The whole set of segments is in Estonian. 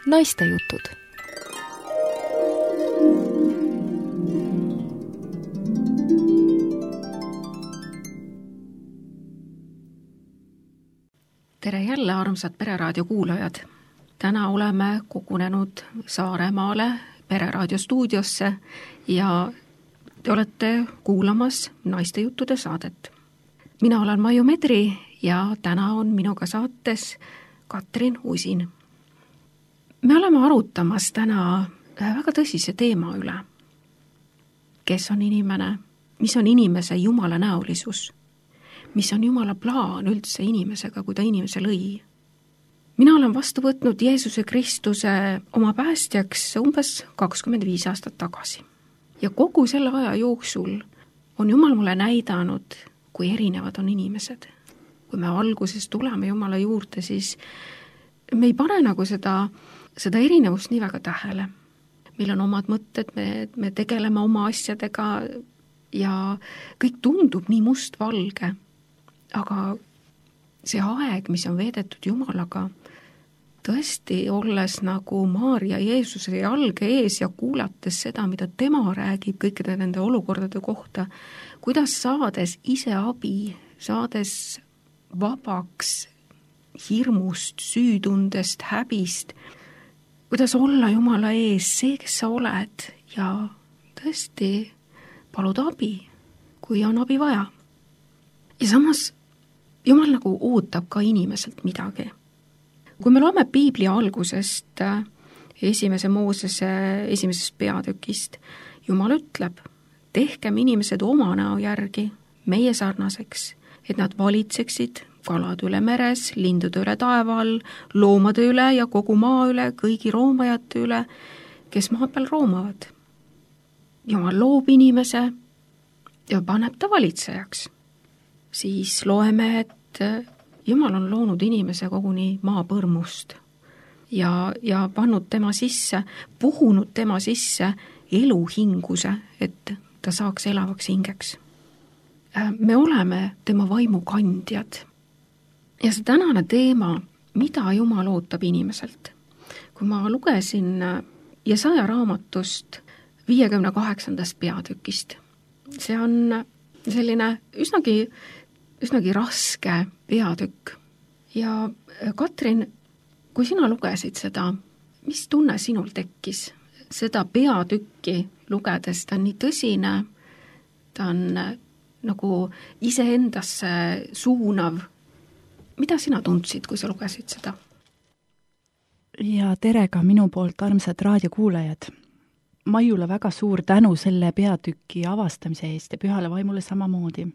Naistejutud. Tere jälle, armsad Pereraadio kuulajad! Täna oleme kogunenud Saaremaale Pereraadio stuudiosse ja te olete kuulamas Naistejuttude saadet. Mina olen Maiu Medri ja täna on minuga saates Katrin Usin. Me oleme arutamas täna väga tõsise teema üle. Kes on inimene? Mis on inimese Jumala näolisus? Mis on Jumala plaan üldse inimesega, kui ta inimese lõi? Mina olen vastu võtnud Jeesuse Kristuse oma päästjaks umbes 25 aastat tagasi. Ja kogu selle aja jooksul on Jumal mulle näidanud, kui erinevad on inimesed. Kui me alguses tuleme Jumala juurde, siis me ei pane nagu seda erinevust nii väga tähele. Meil on omad mõtted, me tegeleme oma asjadega ja kõik tundub nii mustvalge. Aga see aeg, mis on veedetud Jumalaga, tõesti olles nagu Maarja Jeesuse jalge ees ja kuulates seda, mida tema räägib kõikide nende olukordade kohta, kuidas saades ise abi, saades vabaks hirmust, süütundest, häbist, kuidas olla Jumala ees see, kes sa oled ja tõesti palud abi, kui on abi vaja. Ja samas Jumal nagu ootab ka inimeselt midagi. Kui me loeme Piibli algusest, esimese Moosese esimesest peatükist, Jumal ütleb, tehkem inimesed oma näo järgi, meie sarnaseks, et nad valitseksid kalad üle meres, lindude üle taeva all, loomade üle ja kogu maa üle, kõigi roomajate üle, kes maa peal roomavad. Jumal loob inimese ja paneb ta valitsejaks. Siis loeme, et Jumal on loonud inimese koguni maapõrmust ja pannud tema sisse, puhunud tema sisse eluhinguse, et ta saaks elavaks hingeks. Me oleme tema vaimu kandjad. Ja see tänane teema, mida Jumal ootab inimeselt. Kui ma lugesin Jesaja raamatust 58. peatükist, see on selline üsnagi raske peatükk. Ja Katrin, kui sina lugesid seda, mis tunne sinul tekkis? Seda peatükki lugedes, ta on nii tõsine, ta on nagu iseendasse suunav. Mida sina tundsid, kui sa lugesid seda? Ja tere ka minu poolt, armsad raadiokuulajad. Maiule väga suur tänu selle peatüki avastamise eest ja Pühale vaimule samamoodi.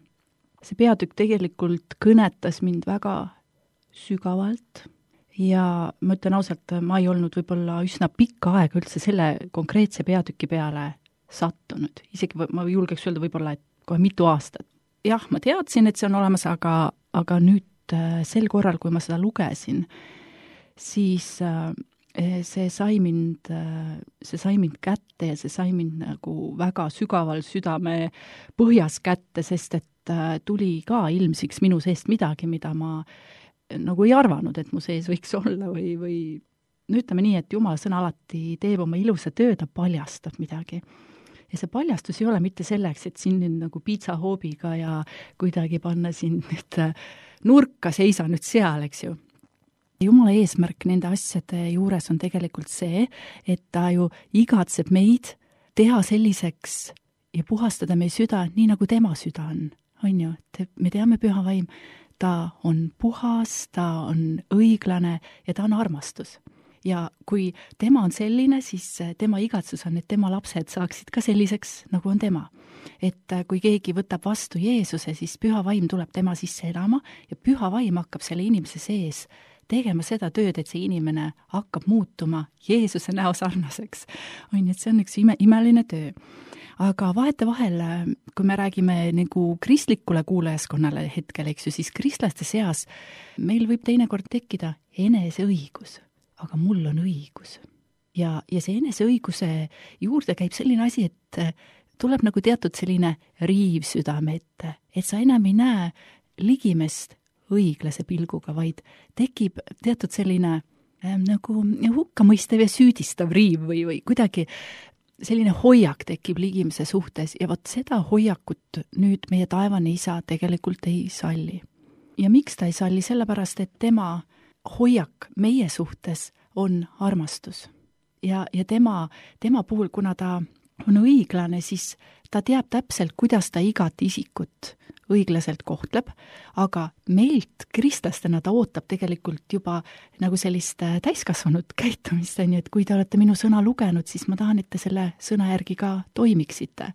See peatükk tegelikult kõnetas mind väga sügavalt ja ma ütlen ausalt, ma ei olnud võib-olla üsna pikka aega üldse selle konkreetse peatüki peale sattunud. Isegi ma julgeks öelda võib-olla, et kohe mitu aastat. Jah, ma teadsin, et see on olemas, aga nüüd sel korral, kui ma seda lugesin, siis see sai mind kätte ja see sai mind nagu väga sügaval südame põhjas kätte, sest et tuli ka ilmsiks minu seest midagi, mida ma nagu ei arvanud, et mu sees võiks olla või ütleme nii, et Jumala sõna alati teeb oma ilusa töö, ta paljastab midagi. Ja see paljastus ei ole mitte selleks, et siin nüüd nagu piitsahoobiga ja kuidagi panna siin nüüd nurka, seisa nüüd seal, eks ju. Jumala eesmärk nende asjade juures on tegelikult see, et ta ju igatseb meid teha selliseks ja puhastada meie süda nii, nagu tema süda on ju, et me teame Püha vaim, ta on puhas, ta on õiglane ja ta on armastus. Ja kui tema on selline, siis tema igatsus on, et tema lapsed saaksid ka selliseks, nagu on tema. Et kui keegi võtab vastu Jeesuse, siis Püha vaim tuleb tema sisse elama ja Püha vaim hakkab selle inimese sees tegema seda tööd, et see inimene hakkab muutuma Jeesuse näo sarnaseks. Et see on üks imeline töö. Aga vahetevahel, kui me räägime nagu kristlikule kuulajaskonnale hetkel, eks ju, siis kristlaste seas meil võib teinekord tekkida eneseõigus, aga mul on õigus. Ja see eneseõiguse juurde käib selline asi, et tuleb nagu teatud selline riiv südame ette, et sa enam ei näe ligimest õiglase pilguga, vaid tekib teatud selline nagu hukkamõistev ja süüdistav riiv või kuidagi selline hoiak tekib ligimise suhtes ja vot seda hoiakut nüüd meie taevane isa tegelikult ei salli. Ja miks ta ei salli? Sellepärast, et tema hoiak meie suhtes on armastus. Ja tema puhul, kuna ta on õiglane, siis ta teab täpselt, kuidas ta igat isikut õiglaselt kohtleb, aga meilt kristlastena ta ootab tegelikult juba nagu sellist täiskasvanud käitumist, et kui te olete minu sõna lugenud, siis ma tahan, et te selle sõna järgi ka toimiksite.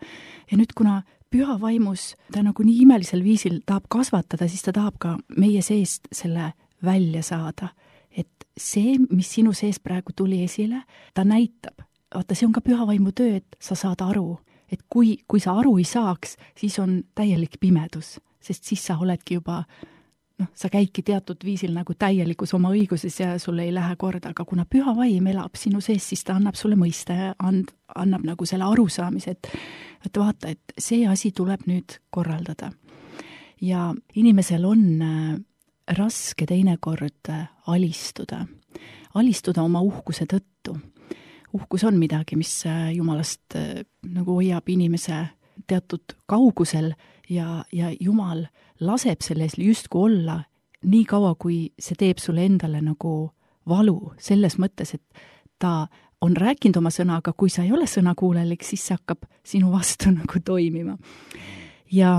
Ja nüüd, kuna püha vaimus ta nagu nii imelisel viisil tahab kasvatada, siis ta tahab ka meie seest selle välja saada. Et see, mis sinu sees praegu tuli esile, ta näitab. Vaata, see on ka püha vaimu töö, et sa saad aru. Et kui sa aru ei saaks, siis on täielik pimedus, sest siis sa oledki juba, sa käidki teatud viisil nagu täielikus oma õiguses ja sulle ei lähe korda, aga kuna püha vaim elab sinu sees, siis ta annab sulle mõiste, annab nagu selle arusaamise, et vaata, et see asi tuleb nüüd korraldada. Ja inimesel on raske teinekord alistuda oma uhkuse tõttu. Uhkus on midagi, mis Jumalast nagu hoiab inimese teatud kaugusel ja Jumal laseb selles justkui olla nii kaua, kui see teeb sulle endale nagu valu, selles mõttes, et ta on rääkinud oma sõna, aga kui sa ei ole sõnakuulelik, siis see hakkab sinu vastu nagu toimima. Ja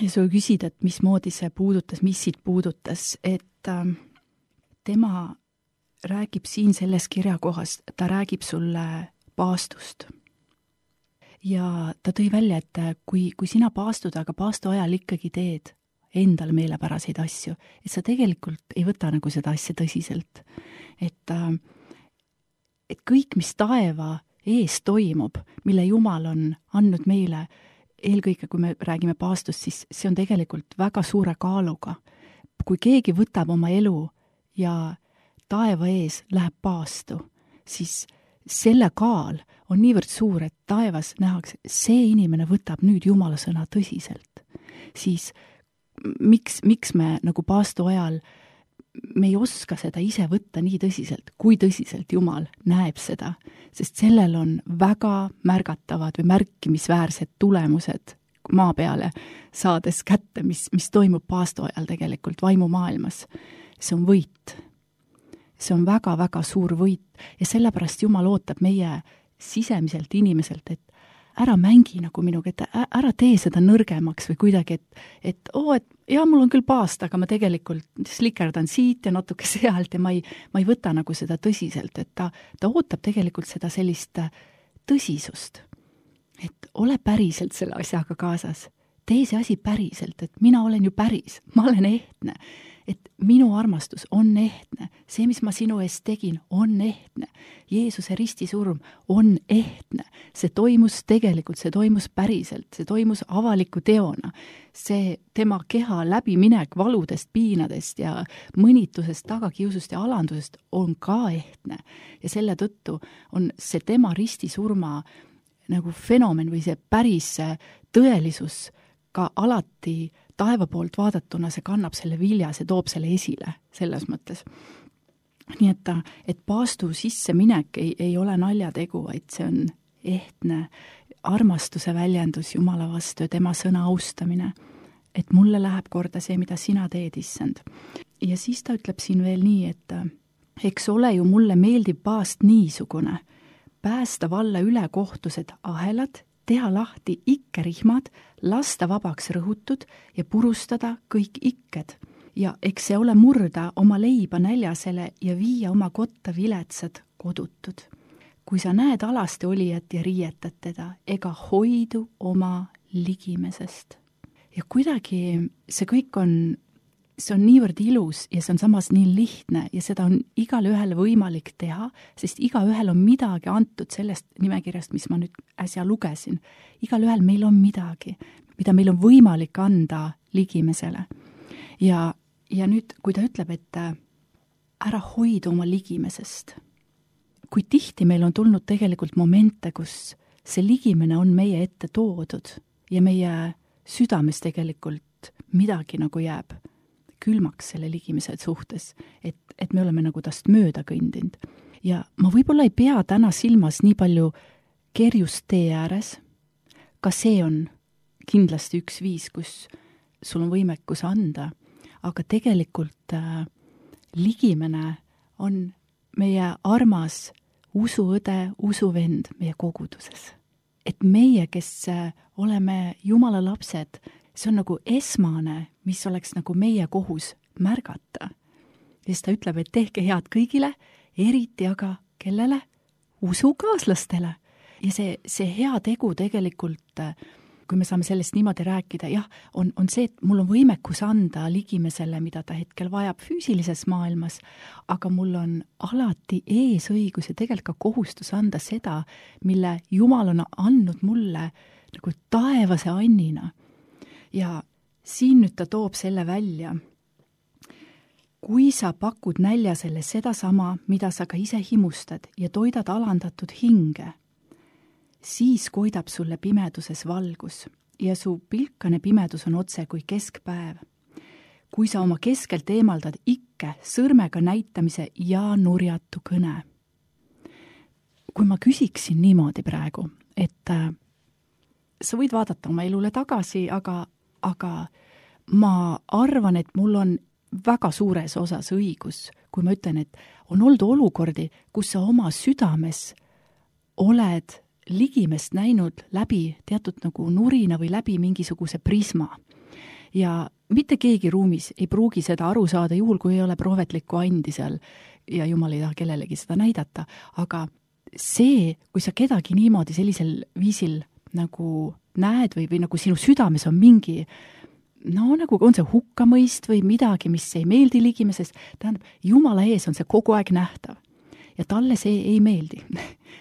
sa küsid, et mismoodi see puudutas, mis siit puudutas, et tema räägib siin selles kirjakohas, ta räägib sulle paastust. Ja ta tõi välja, et kui sina paastud, aga paastu ajal ikkagi teed endale meelepäraseid asju, et sa tegelikult ei võta nagu seda asja tõsiselt. Et kõik, mis taeva ees toimub, mille Jumal on andnud meile, eelkõige kui me räägime paastust, siis see on tegelikult väga suure kaaluga. Kui keegi võtab oma elu ja taeva ees läheb paastu, siis selle kaal on niivõrd suur, et taevas nähakse, see inimene võtab nüüd Jumala sõna tõsiselt. Siis miks me nagu paastu ajal, me ei oska seda ise võtta nii tõsiselt, kui tõsiselt Jumal näeb seda, sest sellel on väga märgatavad või märkimisväärsed tulemused maa peale saades kätte, mis toimub paastu ajal tegelikult vaimumaailmas. See on võit. See on väga-väga suur võit ja sellepärast Jumal ootab meie sisemiselt inimeselt, et ära mängi nagu minuga, et ära tee seda nõrgemaks või kuidagi, et mul on küll paast, aga ma tegelikult slikerdan siit ja natuke sealt ja ma ei võta nagu seda tõsiselt, et ta ootab tegelikult seda sellist tõsisust, et ole päriselt selle asjaga kaasas. Tee see asi päriselt, et mina olen ju päris, ma olen ehtne. Et minu armastus on ehtne, see, mis ma sinu eest tegin, on ehtne. Jeesuse ristisurm on ehtne. See toimus tegelikult, see toimus päriselt, see toimus avaliku teona. See tema keha läbiminek valudest, piinadest ja mõnitusest, tagakiusust ja alandusest on ka ehtne. Ja selle tõttu on see tema ristisurma nagu fenomen või see päris tõelisus ka alati taeva poolt vaadatuna, see kannab selle vilja, see toob selle esile selles mõttes. Nii et paastu sisse minek ei ole naljategu, vaid see on ehtne armastuse väljendus Jumala vastu ja tema sõna austamine, et mulle läheb korda see, mida sina teed, issand. Ja siis ta ütleb siin veel nii, et eks ole ju mulle meeldib paast niisugune, päästa valla ülekohtused ahelad, teha lahti ikkerihmad, lasta vabaks rõhutud ja purustada kõik ikked. Ja eks see ole murda oma leiba näljasele ja viia oma kotta viletsad kodutud. Kui sa näed alasti olijat ja riietad teda, ega hoidu oma ligimesest. Ja kuidagi see kõik see on niivõrd ilus ja see on samas nii lihtne ja seda on igale ühele võimalik teha, sest igaühel on midagi antud sellest nimekirjast, mis ma nüüd äsja lugesin. Igal ühel meil on midagi, mida meil on võimalik anda ligimesele. Ja nüüd, kui ta ütleb, et ära hoida oma ligimesest, kui tihti meil on tulnud tegelikult momente, kus see ligimene on meie ette toodud ja meie südames tegelikult midagi nagu jääb külmaks selle ligimise suhtes, et me oleme nagu tast mööda kõndinud. Ja ma võib-olla ei pea täna silmas nii palju kerjust tee ääres, ka see on kindlasti üks viis, kus sul on võimekus anda, aga tegelikult ligimene on meie armas usuõde, usuvend meie koguduses. Et meie, kes oleme Jumala lapsed, see on nagu esmane, mis oleks nagu meie kohus märgata. Ja siis ta ütleb, et tehke head kõigile, eriti aga kellele? Usukaaslastele. Ja see hea tegu tegelikult, kui me saame sellest niimoodi rääkida, jah, on see, et mul on võimekus anda ligimesele, mida ta hetkel vajab füüsilises maailmas, aga mul on alati eesõigus ja tegelikult ka kohustus anda seda, mille Jumal on andnud mulle nagu taevase annina. Ja siin nüüd ta toob selle välja. Kui sa pakud näljasele seda sama, mida sa ka ise himustad ja toidad alandatud hinge, siis koidab sulle pimeduses valgus ja su pilkane pimedus on otse kui keskpäev. Kui sa oma keskelt eemaldad ikke sõrmega näitamise ja nurjatu kõne. Kui ma küsiksin niimoodi praegu, et sa võid vaadata oma elule tagasi, aga ma arvan, et mul on väga suures osas õigus, kui ma ütlen, et on olnud olukordi, kus sa oma südames oled ligimest näinud läbi teatud nagu nurina või läbi mingisuguse prisma. Ja mitte keegi ruumis ei pruugi seda aru saada, juhul kui ei ole prohvetlikku andi seal ja Jumal ei taha kellelegi seda näidata, aga see, kui sa kedagi niimoodi sellisel viisil nagu näed või nagu sinu südames on mingi nagu on see hukkamõist või midagi, mis ei meeldi ligimesest, tähendab, Jumala ees on see kogu aeg nähtav. Ja talle see ei meeldi.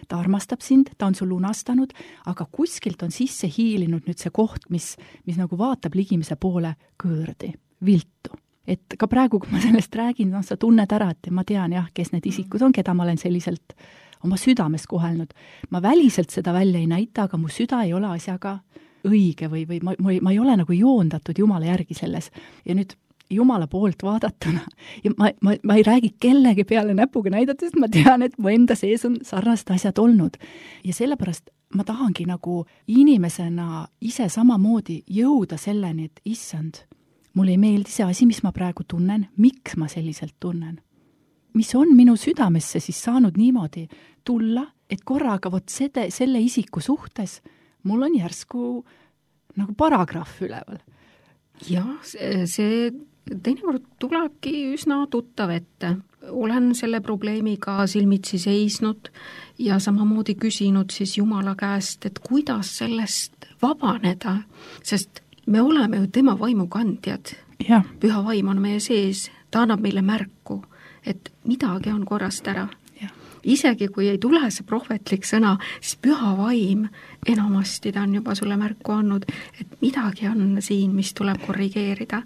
Ta armastab sind, ta on sul lunastanud, aga kuskilt on sisse hiilinud nüüd see koht, mis nagu vaatab ligimise poole kõõrdi, viltu. Et ka praegu, kui ma sellest räägin, sa tunned ära, et ma tean jah, kes need isikud on, keda ma olen selliselt oma südames kohelnud. Ma väliselt seda välja ei näita, aga mu süda ei ole asjaga õige või ma ei ole nagu joondatud Jumala järgi selles. Ja nüüd Jumala poolt vaadatuna ja ma ei räägi kellegi peale näpuga näidates, ma tean, et mu enda sees on sarnased asjad olnud. Ja sellepärast ma tahangi nagu inimesena ise samamoodi jõuda selleni, et issand, mulle ei meeldi see asi, mis ma praegu tunnen, miks ma selliselt tunnen. Mis on minu südamesse siis saanud niimoodi tulla, et korraga vot selle isiku suhtes mul on järsku nagu paragrahv üleval. Jah, see teinekord tulebki üsna tuttav ette. Olen selle probleemiga silmitsi seisnud ja samamoodi küsinud siis Jumala käest, et kuidas sellest vabaneda, sest me oleme ju tema vaimukandjad. Ja. Püha vaim on meie sees, ta annab meile märku, et midagi on korrast ära. Isegi kui ei tule see prohvetlik sõna, siis püha vaim enamasti ta on juba sulle märku andnud, et midagi on siin, mis tuleb korrigeerida.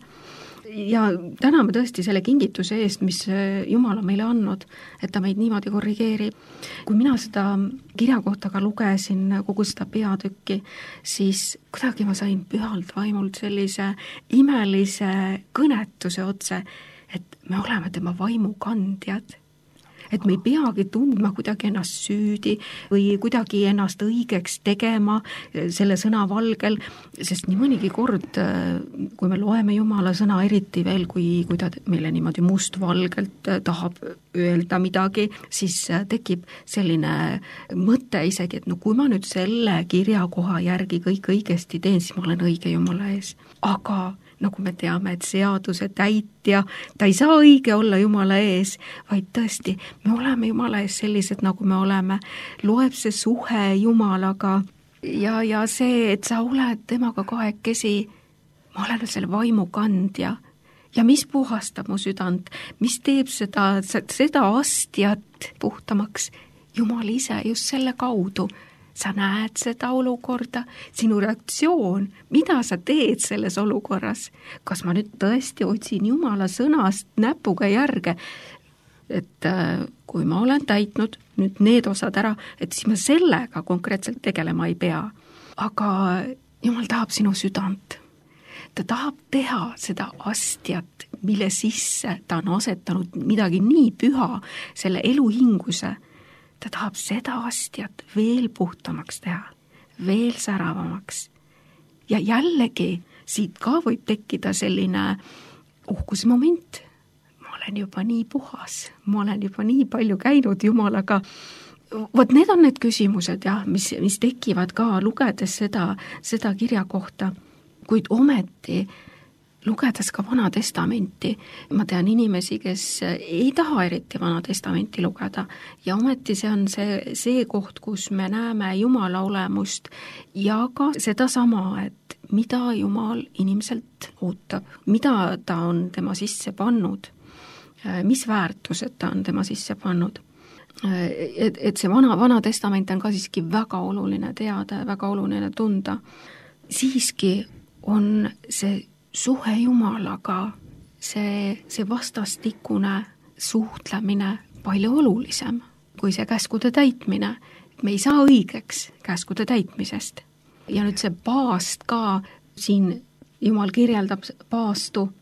Ja täname tõesti selle kingituse eest, mis Jumal on meile andnud, et ta meid niimoodi korrigeerib. Kui mina seda kirja kohta ka lugesin, kogu seda peatükki, siis kuidagi ma sain pühalt vaimult sellise imelise kõnetuse otse, et me oleme tema vaimukandjad. Et me ei peagi tundma kuidagi ennast süüdi või kuidagi ennast õigeks tegema selle sõna valgel, sest nii mõnigi kord, kui me loeme Jumala sõna, eriti veel, kui ta meile niimoodi mustvalgelt tahab öelda midagi, siis tekib selline mõte isegi, et no kui ma nüüd selle kirjakoha järgi kõik õigesti teen, siis ma olen õige Jumala ees. Aga nagu me teame, et seaduse täitja, ta ei saa õige olla Jumala ees, vaid tõesti, me oleme Jumala ees sellised, nagu me oleme. Loeb see suhe Jumalaga ja see, et sa oled temaga kahekesi, ma olen selle vaimukandja. Ja mis puhastab mu südant, mis teeb seda astjat puhtamaks? Jumal ise just selle kaudu. Sa näed seda olukorda, sinu reaktsioon, mida sa teed selles olukorras. Kas ma nüüd tõesti otsin Jumala sõnast näpuga järge, et kui ma olen täitnud nüüd need osad ära, et siis ma sellega konkreetselt tegelema ei pea. Aga Jumal tahab sinu südant. Ta tahab teha seda astjat mille sisse ta on asetanud midagi nii püha, selle eluhinguse. Ta tahab seda astjat veel puhtamaks teha, veel säravamaks. Ja jällegi siit ka võib tekkida selline uhkusmoment. Ma olen juba nii puhas, ma olen juba nii palju käinud Jumalaga. Vot need on need küsimused, jah, mis tekivad ka lugedes seda kirja kohta, kuid ometi lugedes ka Vana Testamenti, ma tean inimesi, kes ei taha eriti Vana Testamenti lugeda ja ometi see on see koht, kus me näeme Jumala olemust ja ka seda sama, et mida Jumal inimeselt ootab, mida ta on tema sisse pannud, mis väärtused ta on tema sisse pannud. Et see Vana Testament on ka siiski väga oluline teada ja väga oluline tunda. Siiski on see suhe Jumalaga, see vastastikune suhtlemine palju olulisem kui see käskude täitmine. Me ei saa õigeks käskude täitmisest. Ja nüüd see paast ka, siin Jumal kirjeldab paastu.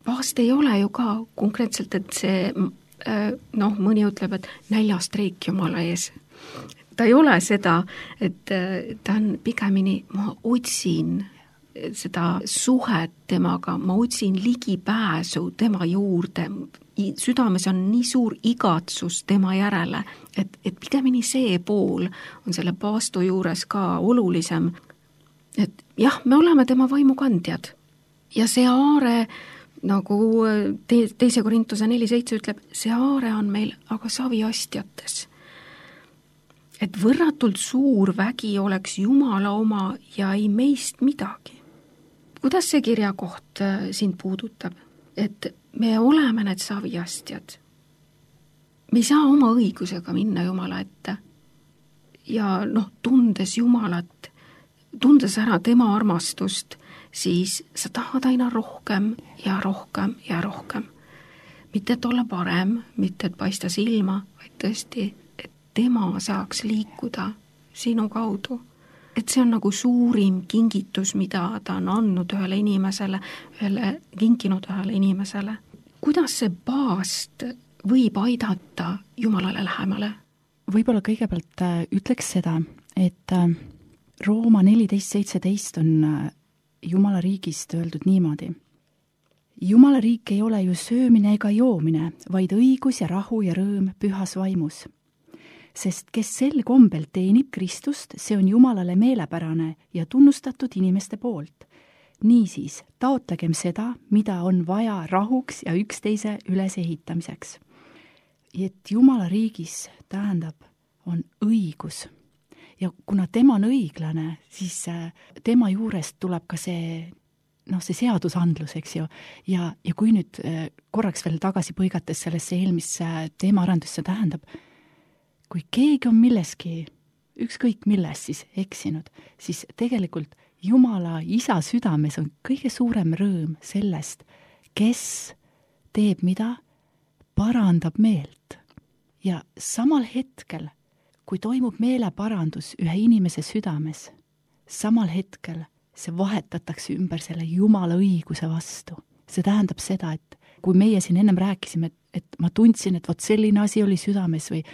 Paast ei ole ju ka konkreetselt, et see, mõni ütleb, et näljastreik Jumala ees. Ta ei ole seda, et ta on pigemini, ma otsin seda suhet temaga, ma otsin ligipääsu tema juurde, südames on nii suur igatsus tema järele, et pigemini see pool on selle paastu juures ka olulisem, et jah, me oleme tema vaimukandjad ja see aare, nagu teise Korintuse 4.7 ütleb, see aare on meil aga saviastjates. Et võrratult suur vägi oleks Jumala oma ja ei meist midagi. Kuidas see kirjakoht sind puudutab? Et me oleme need saviastjad. Me ei saa oma õigusega minna Jumala ette. Ja tundes Jumalat, tundes ära tema armastust, siis sa tahad aina rohkem ja rohkem ja rohkem. Mitte et olla parem, mitte et paista silma, vaid tõesti, et tema saaks liikuda sinu kaudu. Et see on nagu suurim kingitus, mida ta on andnud kinkinud ühele inimesele. Kuidas see paast võib aidata Jumalale lähemale? Võib-olla kõigepealt ütleks seda, et Rooma 14.17 on Jumala riigist öeldud niimoodi. Jumala riik ei ole ju söömine ega joomine, vaid õigus ja rahu ja rõõm pühas vaimus. Sest kes sel kombel teenib Kristust, see on Jumalale meelepärane ja tunnustatud inimeste poolt. Niisiis, taotlagem seda, mida on vaja rahuks ja üksteise ülesehitamiseks. Et Jumala riigis tähendab, on õigus. Ja kuna tema on õiglane, siis tema juurest tuleb ka see seadusandlus, eks ju. Ja kui nüüd korraks veel tagasi põigates sellesse eelmisse teemaarendusse tähendab, kui keegi on milleski, ükskõik milles siis eksinud, siis tegelikult Jumala isa südames on kõige suurem rõõm sellest, kes teeb mida, parandab meelt. Ja samal hetkel, kui toimub meeleparandus ühe inimese südames, samal hetkel see vahetatakse ümber selle Jumala õiguse vastu. See tähendab seda, et kui meie siin ennem rääkisime, et ma tundsin, et vot selline asi oli südames või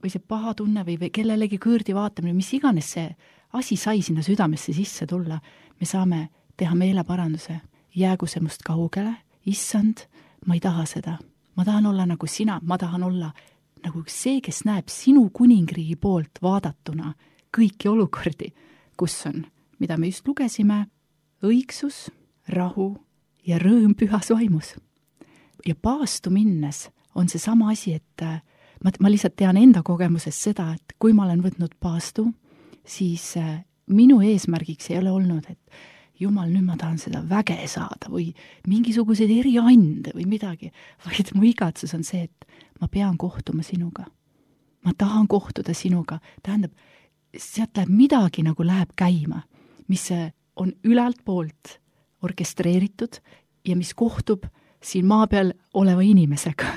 see paha tunne või kellelegi kõõrdi vaatamine, mis iganes see asi sai sinna südamesse sisse tulla, me saame teha meeleparanduse. Jäägu see must kaugele, issand, ma ei taha seda. Ma tahan olla nagu sina, ma tahan olla nagu see, kes näeb sinu kuningriigi poolt vaadatuna kõiki olukordi, kus on, mida me just lugesime, õigsus, rahu ja rõõm pühas vaimus. Ja paastu minnes on see sama asi, et ma lihtsalt tean enda kogemuses seda, et kui ma olen võtnud paastu, siis minu eesmärgiks ei ole olnud, et Jumal, nüüd ma tahan seda väge saada või mingisuguseid eriande või midagi, vaid mu igatsus on see, et ma pean kohtuma sinuga. Ma tahan kohtuda sinuga. Tähendab, sealt läheb midagi nagu läheb käima, mis on ülalt poolt orkestreeritud ja mis kohtub siin maa peal oleva inimesega.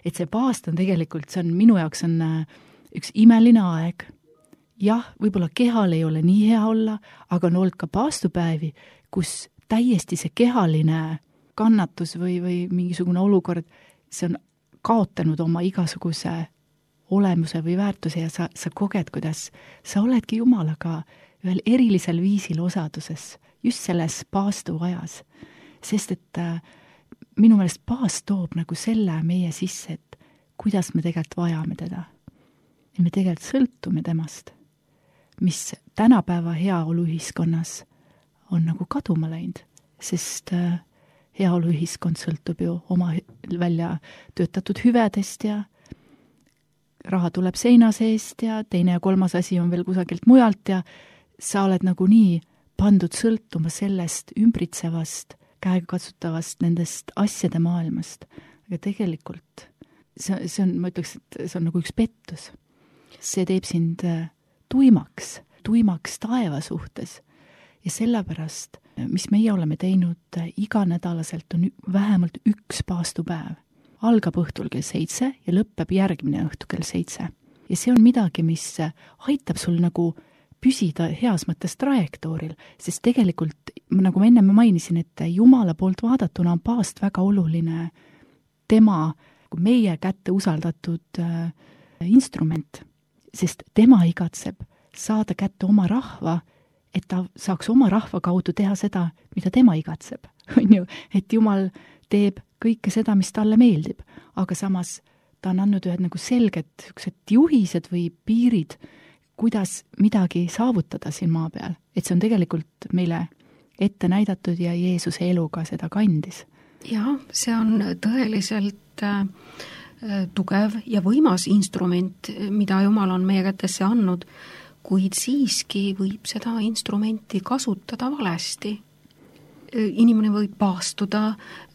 Et see paast on tegelikult, see on minu jaoks on üks imeline aeg. Jah, võib-olla kehal ei ole nii hea olla, aga on olnud ka paastupäevi, kus täiesti see kehaline kannatus või mingisugune olukord, see on kaotanud oma igasuguse olemuse või väärtuse ja sa koged, kuidas sa oledki Jumalaga ühel erilisel viisil osaduses, just selles paastuajas. Sest et minu meelest paast toob nagu selle meie sisse, et kuidas me tegelikult vajame teda. Ja me tegelikult sõltume temast, mis tänapäeva heaoluühiskonnas on nagu kaduma läinud, sest heaoluühiskond sõltub ju oma välja töötatud hüvedest ja raha tuleb seina seest ja teine ja kolmas asi on veel kusagilt mujalt ja sa oled nagu nii pandud sõltuma sellest ümbritsevast, käegakatsutavast nendest asjade maailmast. Aga tegelikult see on, ma ütleks, et see on nagu üks pettus. See teeb sind tuimaks taeva suhtes. Ja sellepärast, mis meie oleme teinud iganädalaselt, on vähemalt üks paastupäev. Algab õhtul kell 7 ja lõpeb järgmine õhtu kell 7. Ja see on midagi, mis aitab sul nagu püsida heas mõttes trajektooril, sest tegelikult, nagu ma enne mainisin, et Jumala poolt vaadatuna on paast väga oluline tema meie kätte usaldatud instrument, sest tema igatseb saada kätte oma rahva, et ta saaks oma rahva kaudu teha seda, mida tema igatseb. On ju, et Jumal teeb kõike seda, mis talle meeldib, aga samas ta on andnud ühed nagu selged juhised või piirid, kuidas midagi saavutada siin maa peal. Et see on tegelikult meile ette näidatud ja Jeesuse eluga seda kandis. Jah, see on tõeliselt tugev ja võimas instrument, mida Jumal on meie kätesse andnud, kuid siiski võib seda instrumenti kasutada valesti. Inimene võib paastuda,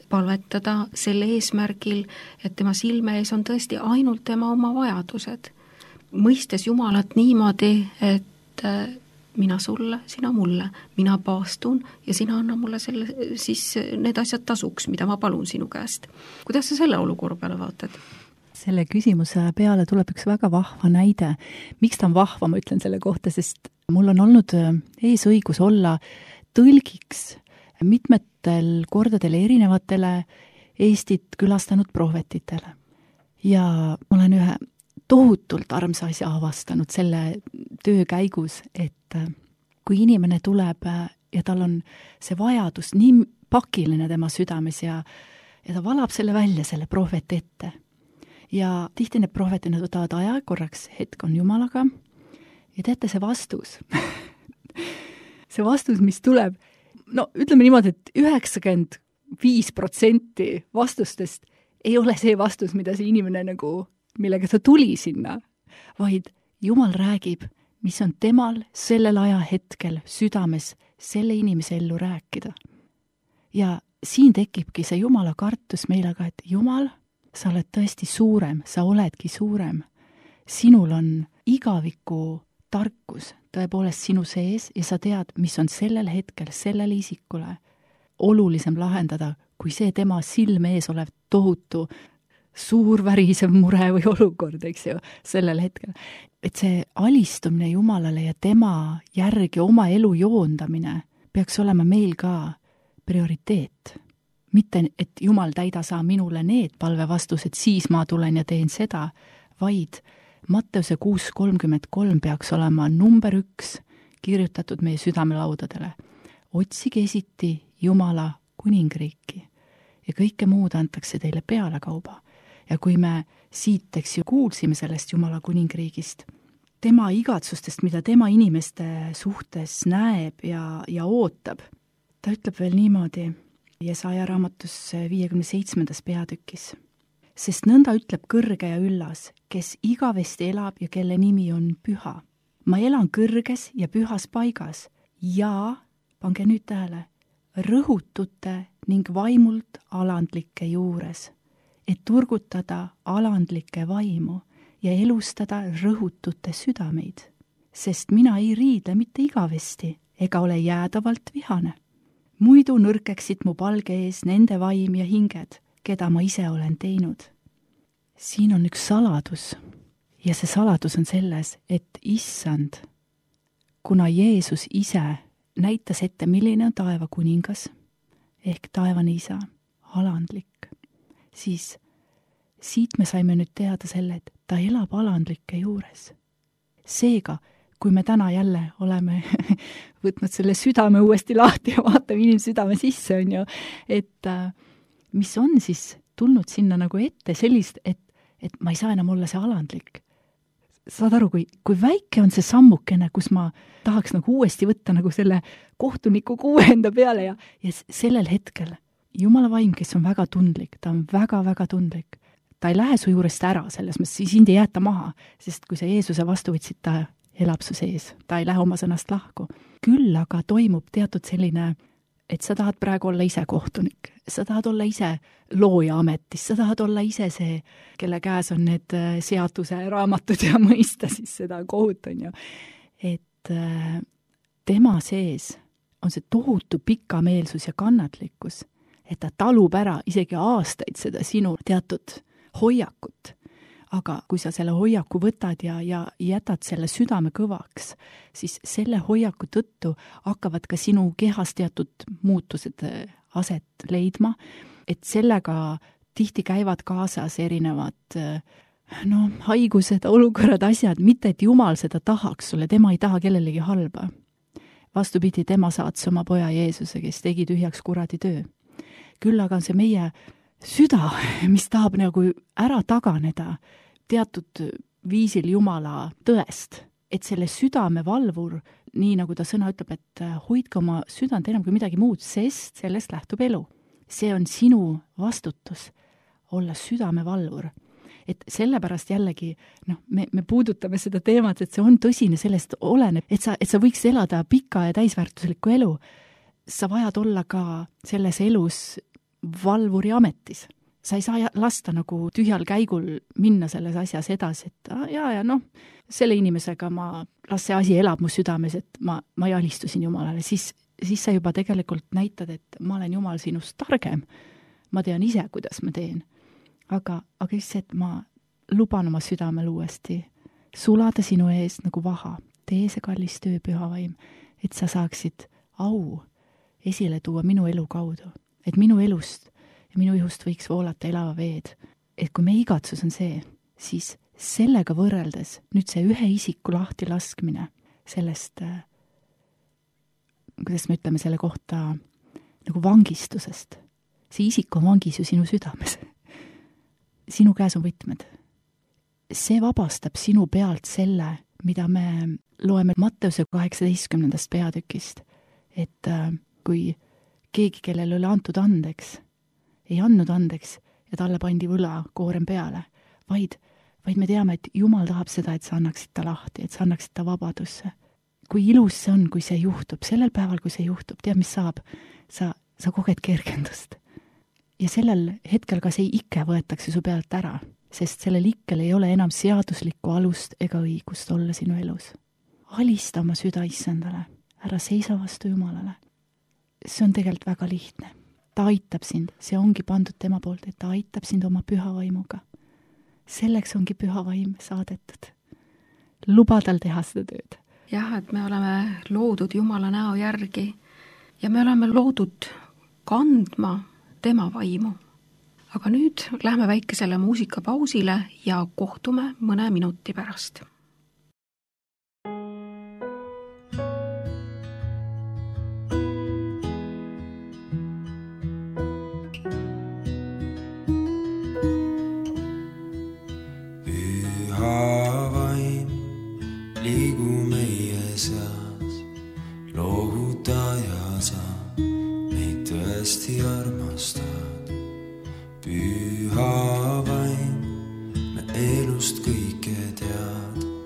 palvetada selle eesmärgil, et tema silme ees on tõesti ainult tema oma vajadused. Mõistes Jumalat niimoodi, et mina sulle, sina mulle, mina paastun ja sina anna mulle selle, siis need asjad tasuks, mida ma palun sinu käest. Kuidas sa selle olukorra peale vaatad? Selle küsimuse peale tuleb üks väga vahva näide. Miks ta on vahva, ma ütlen selle kohta, sest mul on olnud eesõigus olla tõlgiks mitmetel kordadel erinevatele Eestit külastanud prohvetitele. Ja ma olen ühe tohutult armsa asja avastanud selle töö käigus, et kui inimene tuleb ja tal on see vajadus nii pakiline tema südames ja ta valab selle välja, selle prohveti ette. Ja tihti need prohvetid võtavad aja, korraks hetk on Jumalaga ja teate see vastus. See vastus, mis tuleb, no ütleme niimoodi, et 95% vastustest ei ole see vastus, mida see inimene nagu, millega ta tuli sinna, vaid Jumal räägib, mis on temal sellel ajahetkel südames selle inimese ellu rääkida. Ja siin tekibki see Jumala kartus meile ka, et Jumal, sa oled tõesti suurem, sa oledki suurem. Sinul on igaviku tarkus tõepoolest sinu sees ja sa tead, mis on sellel hetkel, sellele isikule olulisem lahendada, kui see tema silme ees olev tohutu suur värisev mure või olukord, eks ju, sellel hetkel. Et see alistumine Jumalale ja tema järgi oma elu joondamine peaks olema meil ka prioriteet. Mitte, et Jumal täida saa minule need palvevastused, siis ma tulen ja teen seda, vaid Matteuse 6:33 peaks olema number 1 kirjutatud meie südamelaudadele. Otsige esiti Jumala kuningriiki ja kõike muud antakse teile pealekauba. Ja kui me siit, eks ju, kuulsime sellest Jumala kuningriigist, tema igatsustest, mida tema inimeste suhtes näeb ja ootab, ta ütleb veel niimoodi Jesaja raamatus 57. peatükis. Sest nõnda ütleb kõrge ja üllas, kes igavesti elab ja kelle nimi on püha. Ma elan kõrges ja pühas paigas ja, pange nüüd tähele, rõhutute ning vaimult alandlike juures, et turgutada alandlike vaimu ja elustada rõhutute südameid. Sest mina ei riidle mitte igavesti ega ole jäädavalt vihane. Muidu nõrkeksid mu palge ees nende vaim ja hinged, keda ma ise olen teinud. Siin on üks saladus ja see saladus on selles, et issand, kuna Jeesus ise näitas ette, milline on taeva kuningas ehk taevane isa alandlik, siis siit me saime nüüd teada selle, et ta elab alandlike juures. Seega, kui me täna jälle oleme võtnud selle südame uuesti lahti ja vaatame inimese südame sisse, on ju, et mis on siis tulnud sinna nagu ette sellist, et ma ei saa enam olla see alandlik. Saad aru, kui väike on see sammukene, kus ma tahaks nagu uuesti võtta nagu selle kohtuniku kuue enda peale ja sellel hetkel Jumala vaim, kes on väga tundlik, ta on väga-väga tundlik. Ta ei lähe su juurest ära, selles mõttes sind ei jäeta maha, sest kui sa Jeesuse vastu võtsid, ta elab su sees, ta ei lähe oma sõnast lahku. Küll aga toimub teatud selline, et sa tahad praegu olla ise kohtunik, sa tahad olla ise looja ametis, sa tahad olla ise see, kelle käes on need seaduse raamatud ja mõista siis seda kohut, on ju. Et tema sees on see tohutu pikameelsus ja kannatlikkus, et ta talub ära isegi aastaid seda sinu teatud hoiakut. Aga kui sa selle hoiaku võtad ja jätad selle südame kõvaks, siis selle hoiaku tõttu hakkavad ka sinu kehas teatud muutused aset leidma, et sellega tihti käivad kaasas erinevad haigused, olukorrad, asjad, mitte et Jumal seda tahaks sulle, tema ei taha kellelegi halba. Vastupidi, tema saats oma poja Jeesuse, kes tegi tühjaks kuradi töö. Küll aga on see meie süda, mis tahab nagu ära taganeda teatud viisil Jumala tõest, et selle südame valvur, nii nagu ta sõna ütleb, et hoidke oma südant enam kui midagi muud, sest sellest lähtub elu. See on sinu vastutus olla südame valvur. Et sellepärast jällegi, me puudutame seda teemat, et see on tõsine, sellest oleneb, et sa võiks elada pika ja täisväärtuslikku elu. Sa vajad olla ka selles elus valvuri ametis. Sa ei saa lasta nagu tühjal käigul minna selles asjas edasi, et selle inimesega las see asi elab mu südames, et ma ei alistusin Jumalale, siis sa juba tegelikult näitad, et ma olen Jumal sinust targem. Ma tean ise, kuidas ma teen. Aga just see, et ma luban oma südamel uuesti sulada sinu ees nagu vaha. Tee see kallis töö, püha vaim, et sa saaksid au esile tuua minu elu kaudu. Et minu elust ja minu ihust võiks voolata elava veed. Et kui meie igatsus on see, siis sellega võrreldes nüüd see ühe isiku lahti laskmine sellest, kuidas me ütleme selle kohta, nagu vangistusest. See isik on vangis ju sinu südames. Sinu käes on võtmed. See vabastab sinu pealt selle, mida me loeme Matteuse 18. peatükist, et kui keegi, kellel oli antud andeks, ei andnud andeks ja talle pandi võla koorem peale, vaid me teame, et Jumal tahab seda, et sa annaksid ta lahti, et sa annaksid ta vabadusse. Kui ilus see on, kui see juhtub, sellel päeval, kui see juhtub, tead, mis saab? Sa koged kergendust. Ja sellel hetkel ka see ikke võetakse su pealt ära, sest sellel ikkel ei ole enam seaduslikku alust ega õigust olla sinu elus. Alista oma süda issandale, ära seisa vastu Jumalale. See on tegelikult väga lihtne. Ta aitab sind, see ongi pandud tema poolt, et ta aitab sind oma püha vaimuga. Selleks ongi püha vaim saadetud. Luba tal teha seda tööd. Jah, et me oleme loodud Jumala näo järgi ja me oleme loodud kandma tema vaimu. Aga nüüd lähme väikesele muusikapausile ja kohtume mõne minuti pärast. Püha vaim, me elust kõike tead.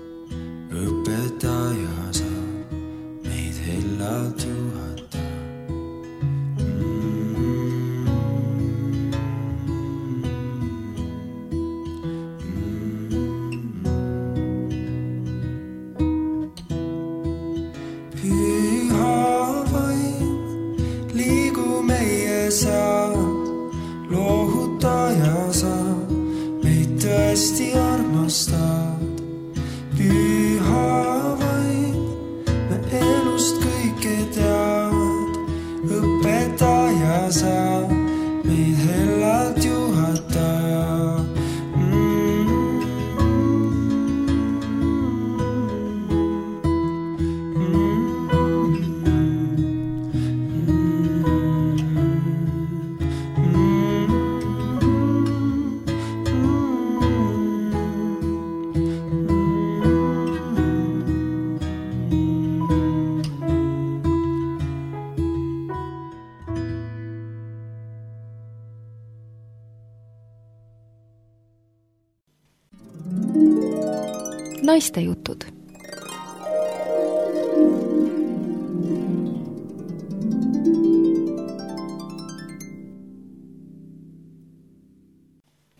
Naistejutud.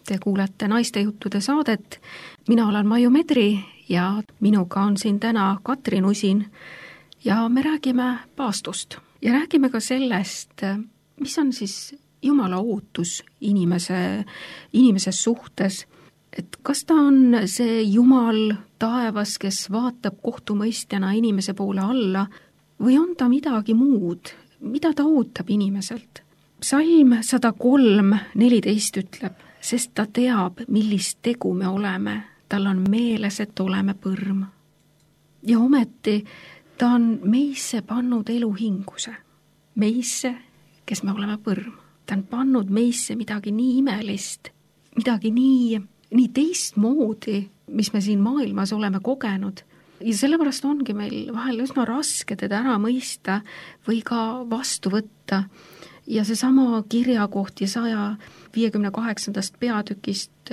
Te kuulete Naistejuttude saadet. Mina olen Maiu Medri ja minuga on siin täna Katrin Usin ja me räägime paastust ja räägime ka sellest, mis on siis Jumala ootus inimese suhtes, et kas ta on see Jumal taevas, kes vaatab kohtumõistjana inimese poole alla või on ta midagi muud, mida ta ootab inimeselt. Psalm 103:14 ütleb, sest ta teab, millist tegu me oleme, tal on meeles, et oleme põrm. Ja ometi ta on meisse pannud eluhinguse, meisse, kes me oleme põrm. Ta on pannud meisse midagi nii imelist, midagi nii teistmoodi, mis me siin maailmas oleme kogenud. Ja sellepärast ongi meil vahel üsna raske teda ära mõista või ka vastu võtta. Ja seesama kirjakoht Jesaja 58. peatükist,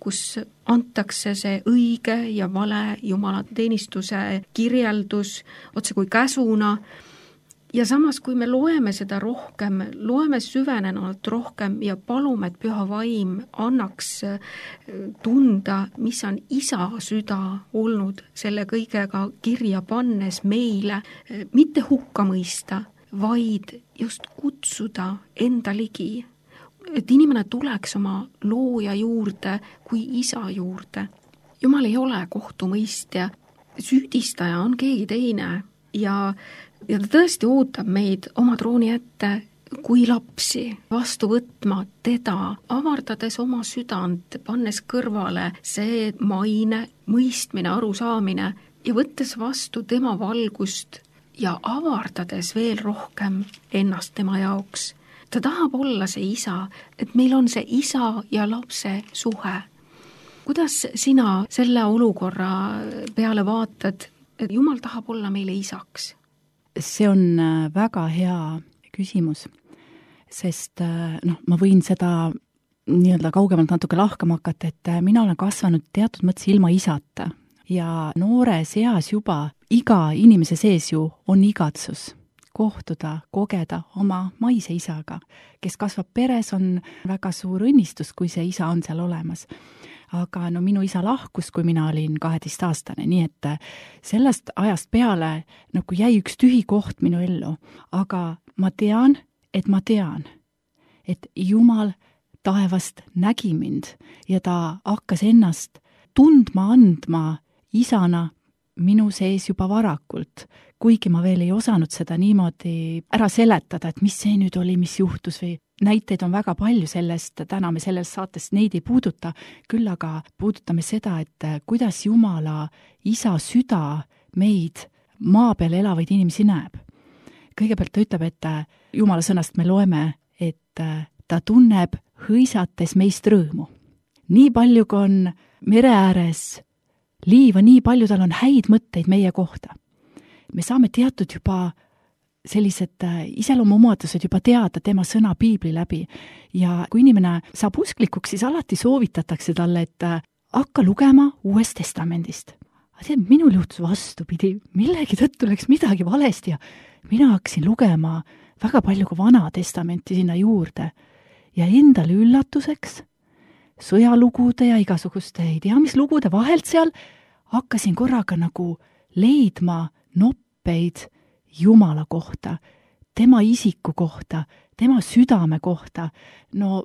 kus antakse see õige ja vale Jumala teenistuse kirjeldus otse kui käsuna. Ja samas, kui me loeme seda rohkem, loeme süvenenult rohkem ja palume, et Püha Vaim annaks tunda, mis on Isa süda olnud selle kõigega kirja pannes meile, mitte hukka mõista, vaid just kutsuda enda ligi, et inimene tuleks oma looja juurde kui Isa juurde. Jumal ei ole kohtumõistja, süüdistaja on keegi teine ja ta tõesti ootab meid oma trooni ette kui lapsi vastu võtma teda, avardades oma südant, pannes kõrvale see maine, mõistmine, arusaamine ja võttes vastu tema valgust ja avardades veel rohkem ennast tema jaoks. Ta tahab olla see isa, et meil on see isa ja lapse suhe. Kuidas sina selle olukorra peale vaatad, et Jumal tahab olla meile isaks? See on väga hea küsimus, sest ma võin seda nii-öelda kaugemalt natuke lahkama hakata, et mina olen kasvanud teatud mõttes ilma isata ja noores eas juba iga inimese sees ju on igatsus kohtuda, kogeda oma maise isaga, kes kasvab peres, on väga suur õnnistus, kui see isa on seal olemas. Aga minu isa lahkus, kui mina olin 12-aastane, nii et sellest ajast peale jäi üks tühi koht minu ellu. Aga ma tean, et Jumal taevast nägi mind ja ta hakkas ennast tundma andma isana minu sees juba varakult, kuigi ma veel ei osanud seda niimoodi ära seletada, et mis see nüüd oli, mis juhtus või näiteid on väga palju sellest, täna me selles saates neid ei puuduta, küll aga puudutame seda, et kuidas Jumala isa süda meid maa peal elavaid inimesi näeb. Kõigepealt ta ütleb, et Jumala sõnast me loeme, et ta tunneb hõisates meist rõõmu. Nii palju, kui on mere ääres liiva, nii palju tal on häid mõtteid meie kohta. Me saame teatud juba sellised iseloomuomadused juba teada tema sõna piibli läbi ja kui inimene saab usklikuks, siis alati soovitatakse talle, et hakka lugema Uuest Testamendist. Minul juhtus vastupidi, millegi tõttu läks midagi valesti ja mina hakkasin lugema väga palju ka Vana Testamenti sinna juurde ja endale üllatuseks sõjalugude ja igasuguste ei tea mis lugude vahelt seal hakkasin korraga leidma noppeid Jumala kohta, tema isiku kohta, tema südame kohta,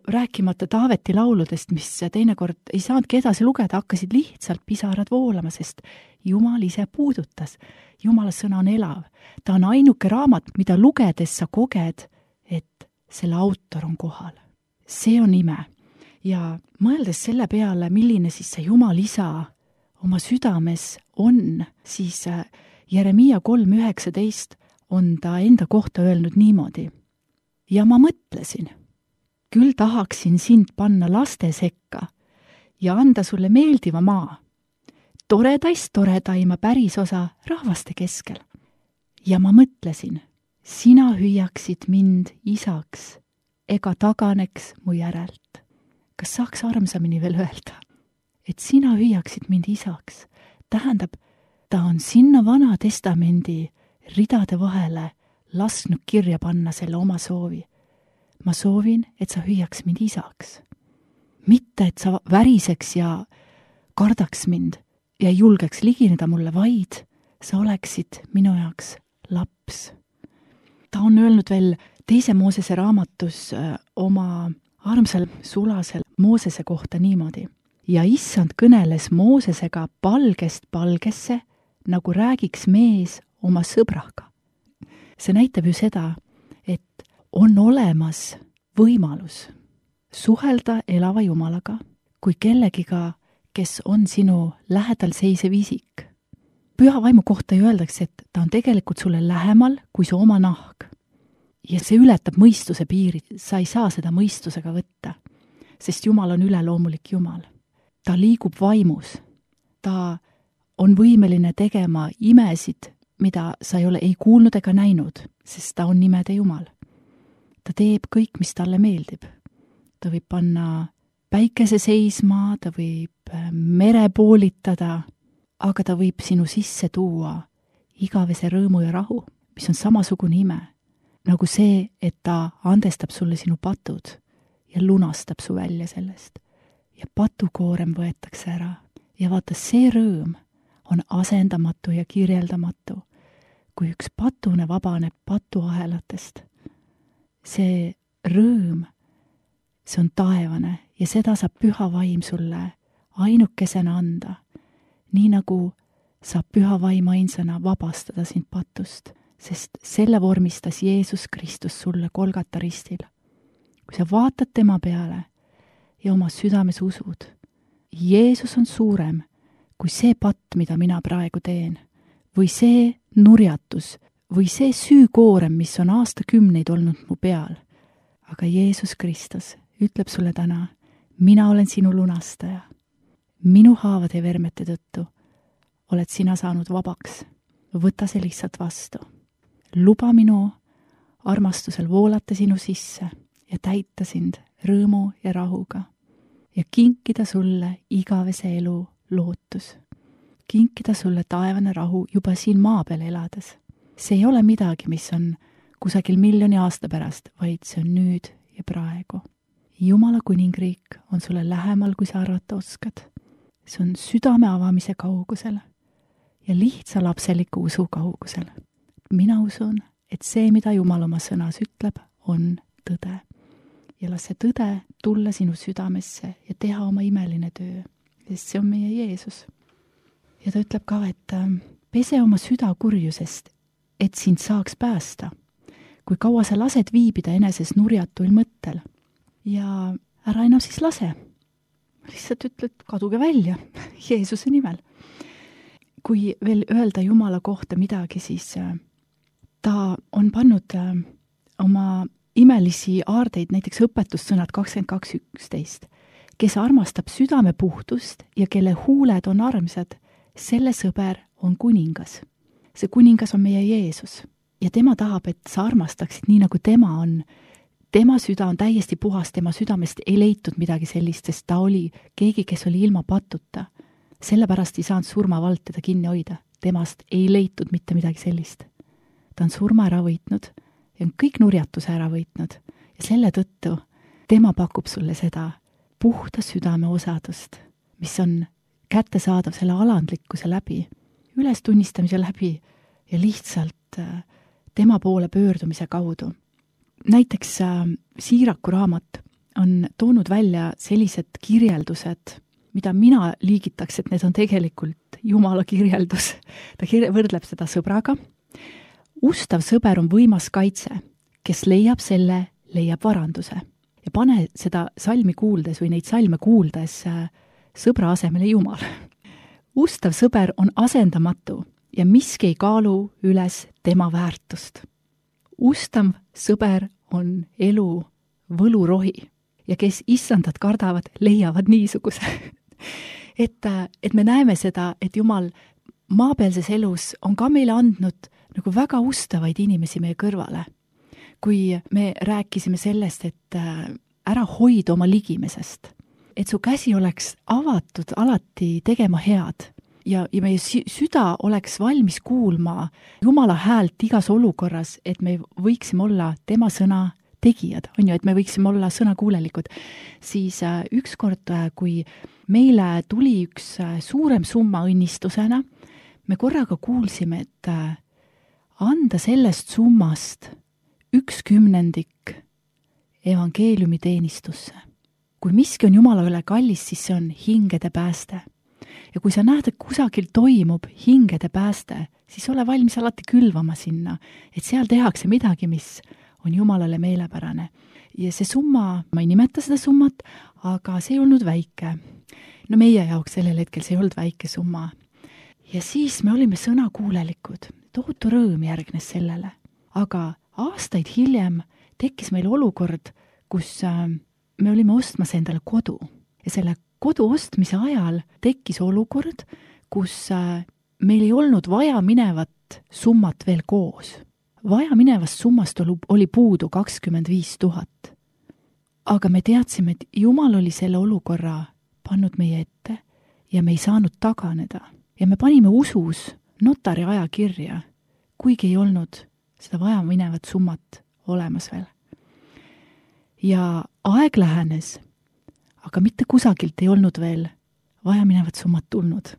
rääkimata Taaveti lauludest, mis teinekord ei saanudki edasi lugeda, hakkasid lihtsalt pisarad voolama, sest Jumal ise puudutas. Jumala sõna on elav. Ta on ainuke raamat, mida lugedes sa koged, et selle autor on kohal. See on ime. Ja mõeldes selle peale, milline siis see Jumal isa oma südames on, siis Jeremiia 3:19 on ta enda kohta öelnud niimoodi. Ja ma mõtlesin, küll tahaksin sind panna laste sekka ja anda sulle meeldiva maa, toredaima pärisosa rahvaste keskel. Ja ma mõtlesin, sina hüüaksid mind isaks ega taganeks mu järelt. Kas saaks armsamini veel öelda, et sina hüüaksid mind isaks, tähendab, ta on sinna Vana Testamendi ridade vahele lasknud kirja panna selle oma soovi. Ma soovin, et sa hüüaks mind isaks. Mitte, et sa väriseks ja kardaks mind ja ei julgeks ligineda mulle, vaid sa oleksid minu jaoks laps. Ta on öelnud veel teise Moosese raamatus oma armsal sulasel Moosese kohta niimoodi. Ja issand kõneles Moosesega palgest palgesse, nagu räägiks mees oma sõbraga. See näitab ju seda, et on olemas võimalus suhelda elava Jumalaga kui kellegiga, kes on sinu lähedal seisev isik. Püha vaimu kohta ju öeldakse, et ta on tegelikult sulle lähemal kui su oma nahk. Ja see ületab mõistuse piirid, sa ei saa seda mõistusega võtta, sest Jumal on üleloomulik Jumal. Ta liigub vaimus, ta on võimeline tegema imesid, mida sa ei ole ei kuulnud ega näinud, sest ta on nimede Jumal. Ta teeb kõik, mis talle meeldib. Ta võib panna päikese seisma, ta võib mere poolitada, aga ta võib sinu sisse tuua igavese rõõmu ja rahu, mis on samasugune ime, nagu see, et ta andestab sulle sinu patud ja lunastab su välja sellest. Ja patukoorem võetakse ära. Ja vaata, see rõõm on asendamatu ja kirjeldamatu, kui üks patune vabaneb patuahelatest. See rõõm, see on taevane ja seda saab püha vaim sulle ainukesena anda, nii nagu saab püha vaim ainsana vabastada sind patust, sest selle vormistas Jeesus Kristus sulle Golgata ristil. Kui sa vaatad tema peale ja oma südames usud, Jeesus on suurem kui see patt, mida mina praegu teen, või see nurjatus, või see süükoorem, mis on aastakümneid olnud mu peal. Aga Jeesus Kristus ütleb sulle täna, mina olen sinu lunastaja. Minu haavade ja vermete tõttu oled sina saanud vabaks. Võta see lihtsalt vastu. Luba minu armastusel voolata sinu sisse ja täita sind rõõmu ja rahuga ja kinkida sulle igavese elu lootus. Kinkida sulle taevane rahu juba siin maa peal elades. See ei ole midagi, mis on kusagil miljoni aasta pärast, vaid see on nüüd ja praegu. Jumala kuningriik on sulle lähemal, kui sa arvata oskad. See on südame avamise kaugusel ja lihtsa lapseliku usu kaugusel. Mina usun, et see, mida Jumal oma sõnas ütleb, on tõde. Ja las see tõde tulla sinu südamesse ja teha oma imeline töö, sest see on meie Jeesus. Ja ta ütleb ka, et pese oma süda kurjusest, et sind saaks päästa, kui kaua sa lased viibida eneses nurjatuil mõttel. Ja ära enam siis lase. Lihtsalt ütled, kaduge välja Jeesuse nimel. Kui veel öelda Jumala kohta midagi, siis ta on pannud oma imelisi aardeid, näiteks õpetussõnad 22.11. Kes armastab südame puhtust ja kelle huuled on armsad, selle sõber on kuningas. See kuningas on meie Jeesus ja tema tahab, et sa armastaksid nii, nagu tema on. Tema süda on täiesti puhas, tema südamest ei leitud midagi sellist, sest ta oli keegi, kes oli ilma patuta. Sellepärast ei saanud surmavald teda kinni hoida. Temast ei leitud mitte midagi sellist. Ta on surma ära võitnud ja on kõik nurjatuse ära võitnud. Ja selle tõttu tema pakub sulle seda puhta südame osadust, mis on kättesaadav selle alandlikkuse läbi, ülestunnistamise läbi ja lihtsalt tema poole pöördumise kaudu. Näiteks Siiraku raamat on toonud välja sellised kirjeldused, mida mina liigitaks, et need on tegelikult Jumala kirjeldus. Ta võrdleb seda sõbraga. Ustav sõber on võimas kaitse, kes leiab selle, leiab varanduse. Ja pane seda salmi kuuldes või neid salme kuuldes sõbra asemele Jumal. Ustav sõber on asendamatu ja miski ei kaalu üles tema väärtust. Ustav sõber on elu võlurohi ja kes issandat kardavad, leiavad niisuguse. et me näeme seda, et Jumal maapealses elus on ka meile andnud nagu väga ustavaid inimesi meie kõrvale. Kui me rääkisime sellest, et ära hoida oma ligimesest, et su käsi oleks avatud alati tegema head ja meie süda oleks valmis kuulma Jumala häält igas olukorras, et me võiksime olla tema sõna tegijad, on ju, et me võiksime olla sõnakuulelikud, siis ükskord, kui meile tuli üks suurem summa õnnistusena, me korraga kuulsime, et anda sellest summast 1/10 evangeeliumi teenistusse. Kui miski on Jumala üle kallis, siis see on hingede pääste. Ja kui sa näed, et kusagil toimub hingede pääste, siis ole valmis alati külvama sinna, et seal tehakse midagi, mis on Jumalale meelepärane. Ja see summa, ma ei nimeta seda summat, aga see ei olnud väike. No meie jaoks sellel hetkel see ei olnud väike summa. Ja siis me olime sõnakuulelikud. Tohutu rõõm järgnes sellele. Aga aastaid hiljem tekkis meil olukord, kus me olime ostmas endale kodu. Ja selle kodu ostmise ajal tekkis olukord, kus meil ei olnud vaja minevat summat veel koos. Vaja minevast summast oli puudu 25 000. Aga me teadsime, et Jumal oli selle olukorra pannud meie ette ja me ei saanud taganeda. Ja me panime usus notari ajakirja, kuigi ei olnud seda vaja minevat summat olemas veel. Ja aeg lähenes, aga mitte kusagilt ei olnud veel vaja minevat summat tulnud.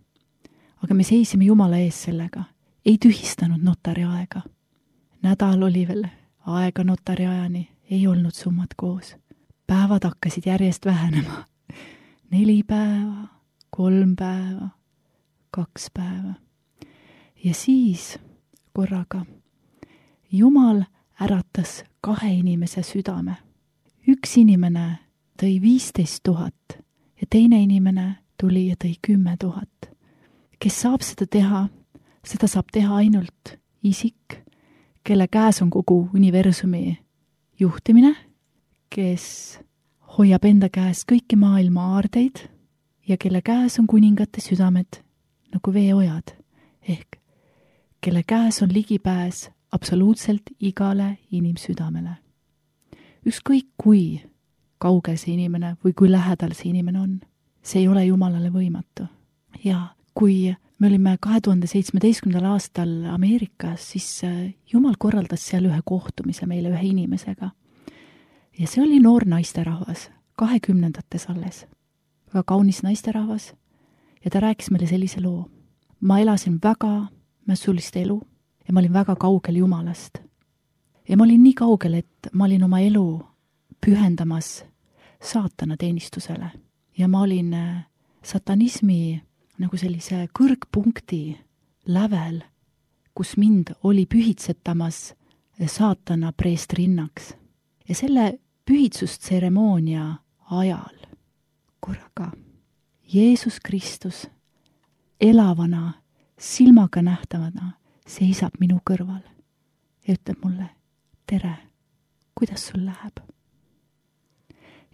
Aga me seisime Jumala ees sellega, ei tühistanud notari aega. Nädal oli veel aega notari ajani, ei olnud summat koos. Päevad hakkasid järjest vähenema. 4 päeva, 3 päeva, 2 päeva. Ja siis korraga Jumal äratas 2 inimese südame. Üks inimene tõi 15 000 ja teine inimene tuli ja tõi 10 000. Kes saab seda teha? Seda saab teha ainult isik, kelle käes on kogu universumi juhtimine, kes hoiab enda käes kõiki maailma aardeid ja kelle käes on kuningate südamed nagu veeojad, ehk kelle käes on ligipääs absoluutselt igale inimsüdamele. Ükskõik kui kaugel see inimene või kui lähedal see inimene on, see ei ole Jumalale võimatu. Ja kui me olime 2017. aastal Ameerikas, siis Jumal korraldas seal ühe kohtumise meile ühe inimesega. Ja see oli noor naisterahvas, 20-ndates alles. Väga kaunis naisterahvas ja ta rääkis meile sellise loo. Ma elasin väga mässulist elu ja ma olin väga kaugel Jumalast. Ja ma olin nii kaugel, et ma olin oma elu pühendamas saatana teenistusele. Ja ma olin satanismi nagu sellise kõrgpunkti lävel, kus mind oli pühitsetamas saatana preestrinnaks. Ja selle pühitsustseremoonia ajal korraga Jeesus Kristus elavana, silmaga nähtavana seisab minu kõrval ja ütleb mulle, tere, kuidas sul läheb?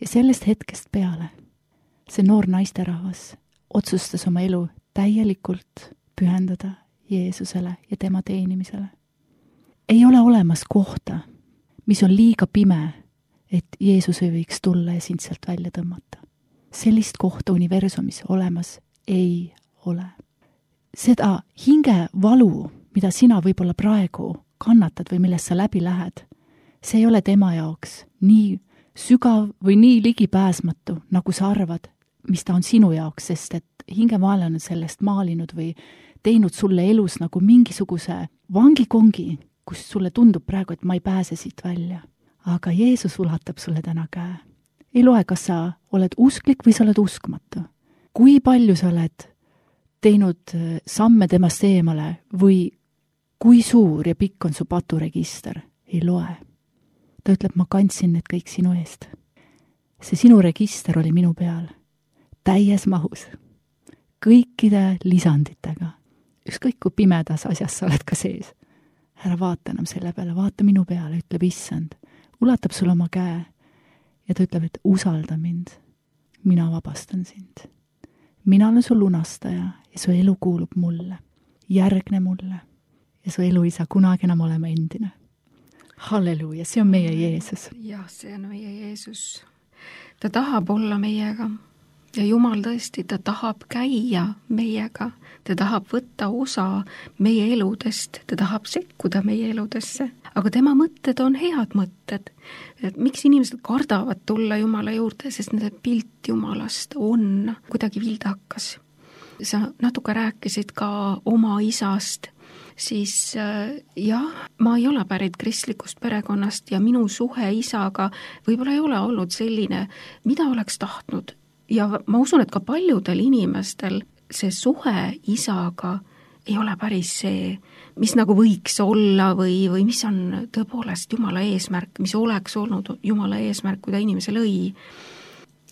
Ja sellest hetkest peale see noor naisterahvas otsustas oma elu täielikult pühendada Jeesusele ja tema teenimisele. Ei ole olemas kohta, mis on liiga pime, et Jeesus ei võiks tulla ja sind sealt välja tõmmata. Sellist kohta universumis olemas ei ole. Seda hingevalu, mida sina võib-olla praegu kannatad või millest sa läbi lähed, see ei ole tema jaoks nii sügav või nii ligipääsmatu, nagu sa arvad, mis ta on sinu jaoks, sest et hingevaalane on sellest maalinud või teinud sulle elus nagu mingisuguse vangikongi, kus sulle tundub praegu, et ma ei pääse siit välja. Aga Jeesus ulatab sulle täna käe. Ei loe, kas sa oled usklik või sa oled uskmatu. Kui palju sa oled teinud samme temast eemale või kui suur ja pikk on su paturegister, ei loe. Ta ütleb, ma kandsin need kõik sinu eest. See sinu register oli minu peal, täies mahus, kõikide lisanditega. Ükskõik kui pimedas asjas sa oled ka sees. Ära vaata enam selle peale, vaata minu peale, ütleb issand. Ulatab sulle oma käe ja ta ütleb, et usalda mind. Mina vabastan sind. Mina olen su lunastaja ja su elu kuulub mulle. Järgne mulle ja su elu ei saa kunagi enam olema endine. Halleluuja, see on meie Jeesus. Jah, see on meie Jeesus. Ta tahab olla meiega. ja Jumal tõesti, ta tahab käia meiega, ta tahab võtta osa meie eludest, ta tahab sekkuda meie eludesse, aga tema mõtted on head mõtted. Et miks inimesed kardavad tulla Jumala juurde, sest nende pilt Jumalast on kuidagi vildakas. Sa natuke rääkisid ka oma isast, siis jah, ma ei ole pärit kristlikust perekonnast ja minu suhe isaga võib-olla ei ole olnud selline, mida oleks tahtnud. Ja ma usun, et ka paljudel inimestel see suhe isaga ei ole päris see, mis nagu võiks olla või mis on tõepoolest Jumala eesmärk, mis oleks olnud Jumala eesmärk, kui ta inimese lõi.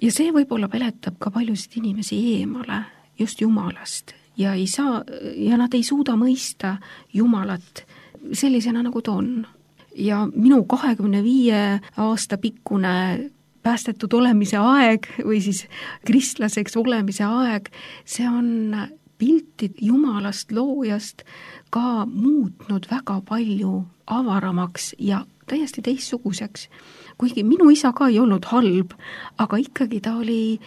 Ja see võib-olla peletab ka paljusid inimesi eemale just Jumalast ja nad ei suuda mõista Jumalat sellisena, nagu ta on. Ja minu 25 aasta pikkune päästetud olemise aeg või siis kristlaseks olemise aeg, see on pilti Jumalast loojast ka muutnud väga palju avaramaks ja täiesti teistsuguseks. Kuigi minu isa ka ei olnud halb, aga ikkagi ta oli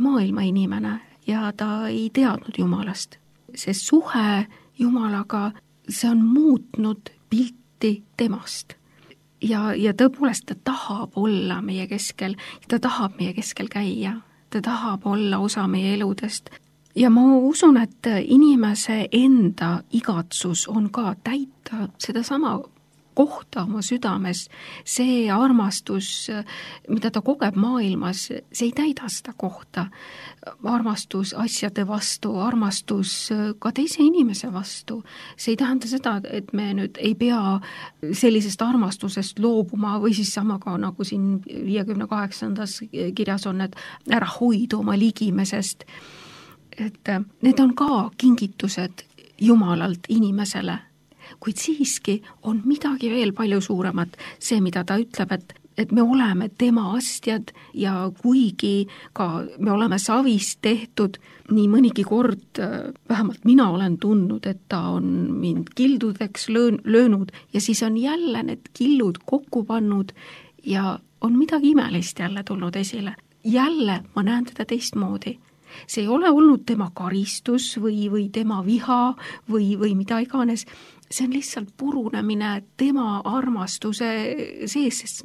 maailma inimene ja ta ei teadnud Jumalast. See suhe Jumalaga, see on muutnud pilti temast. Ja tõepoolest ta tahab olla meie keskel, ta tahab meie keskel käia, ta tahab olla osa meie eludest. Ja ma usun, et inimese enda igatsus on ka täita seda sama kohta oma südames, see armastus, mida ta kogeb maailmas, see ei täida seda kohta. Armastus asjade vastu, armastus ka teise inimese vastu. See ei tähenda seda, et me nüüd ei pea sellisest armastusest loobuma või siis sama ka nagu siin 58. kirjas on, et ära hoidu oma ligimesest. Et need on ka kingitused Jumalalt inimesele. Kuid siiski on midagi veel palju suuremat, see, mida ta ütleb, et me oleme tema astjad ja kuigi ka me oleme savist tehtud, nii mõnigi kord, vähemalt mina olen tundnud, et ta on mind kildudeks löönud ja siis on jälle need killud kokku pannud ja on midagi imelist jälle tulnud esile. Jälle ma näen teda teistmoodi. See ei ole olnud tema karistus või tema viha või mida iganes. See on lihtsalt purunemine tema armastuse sees, sest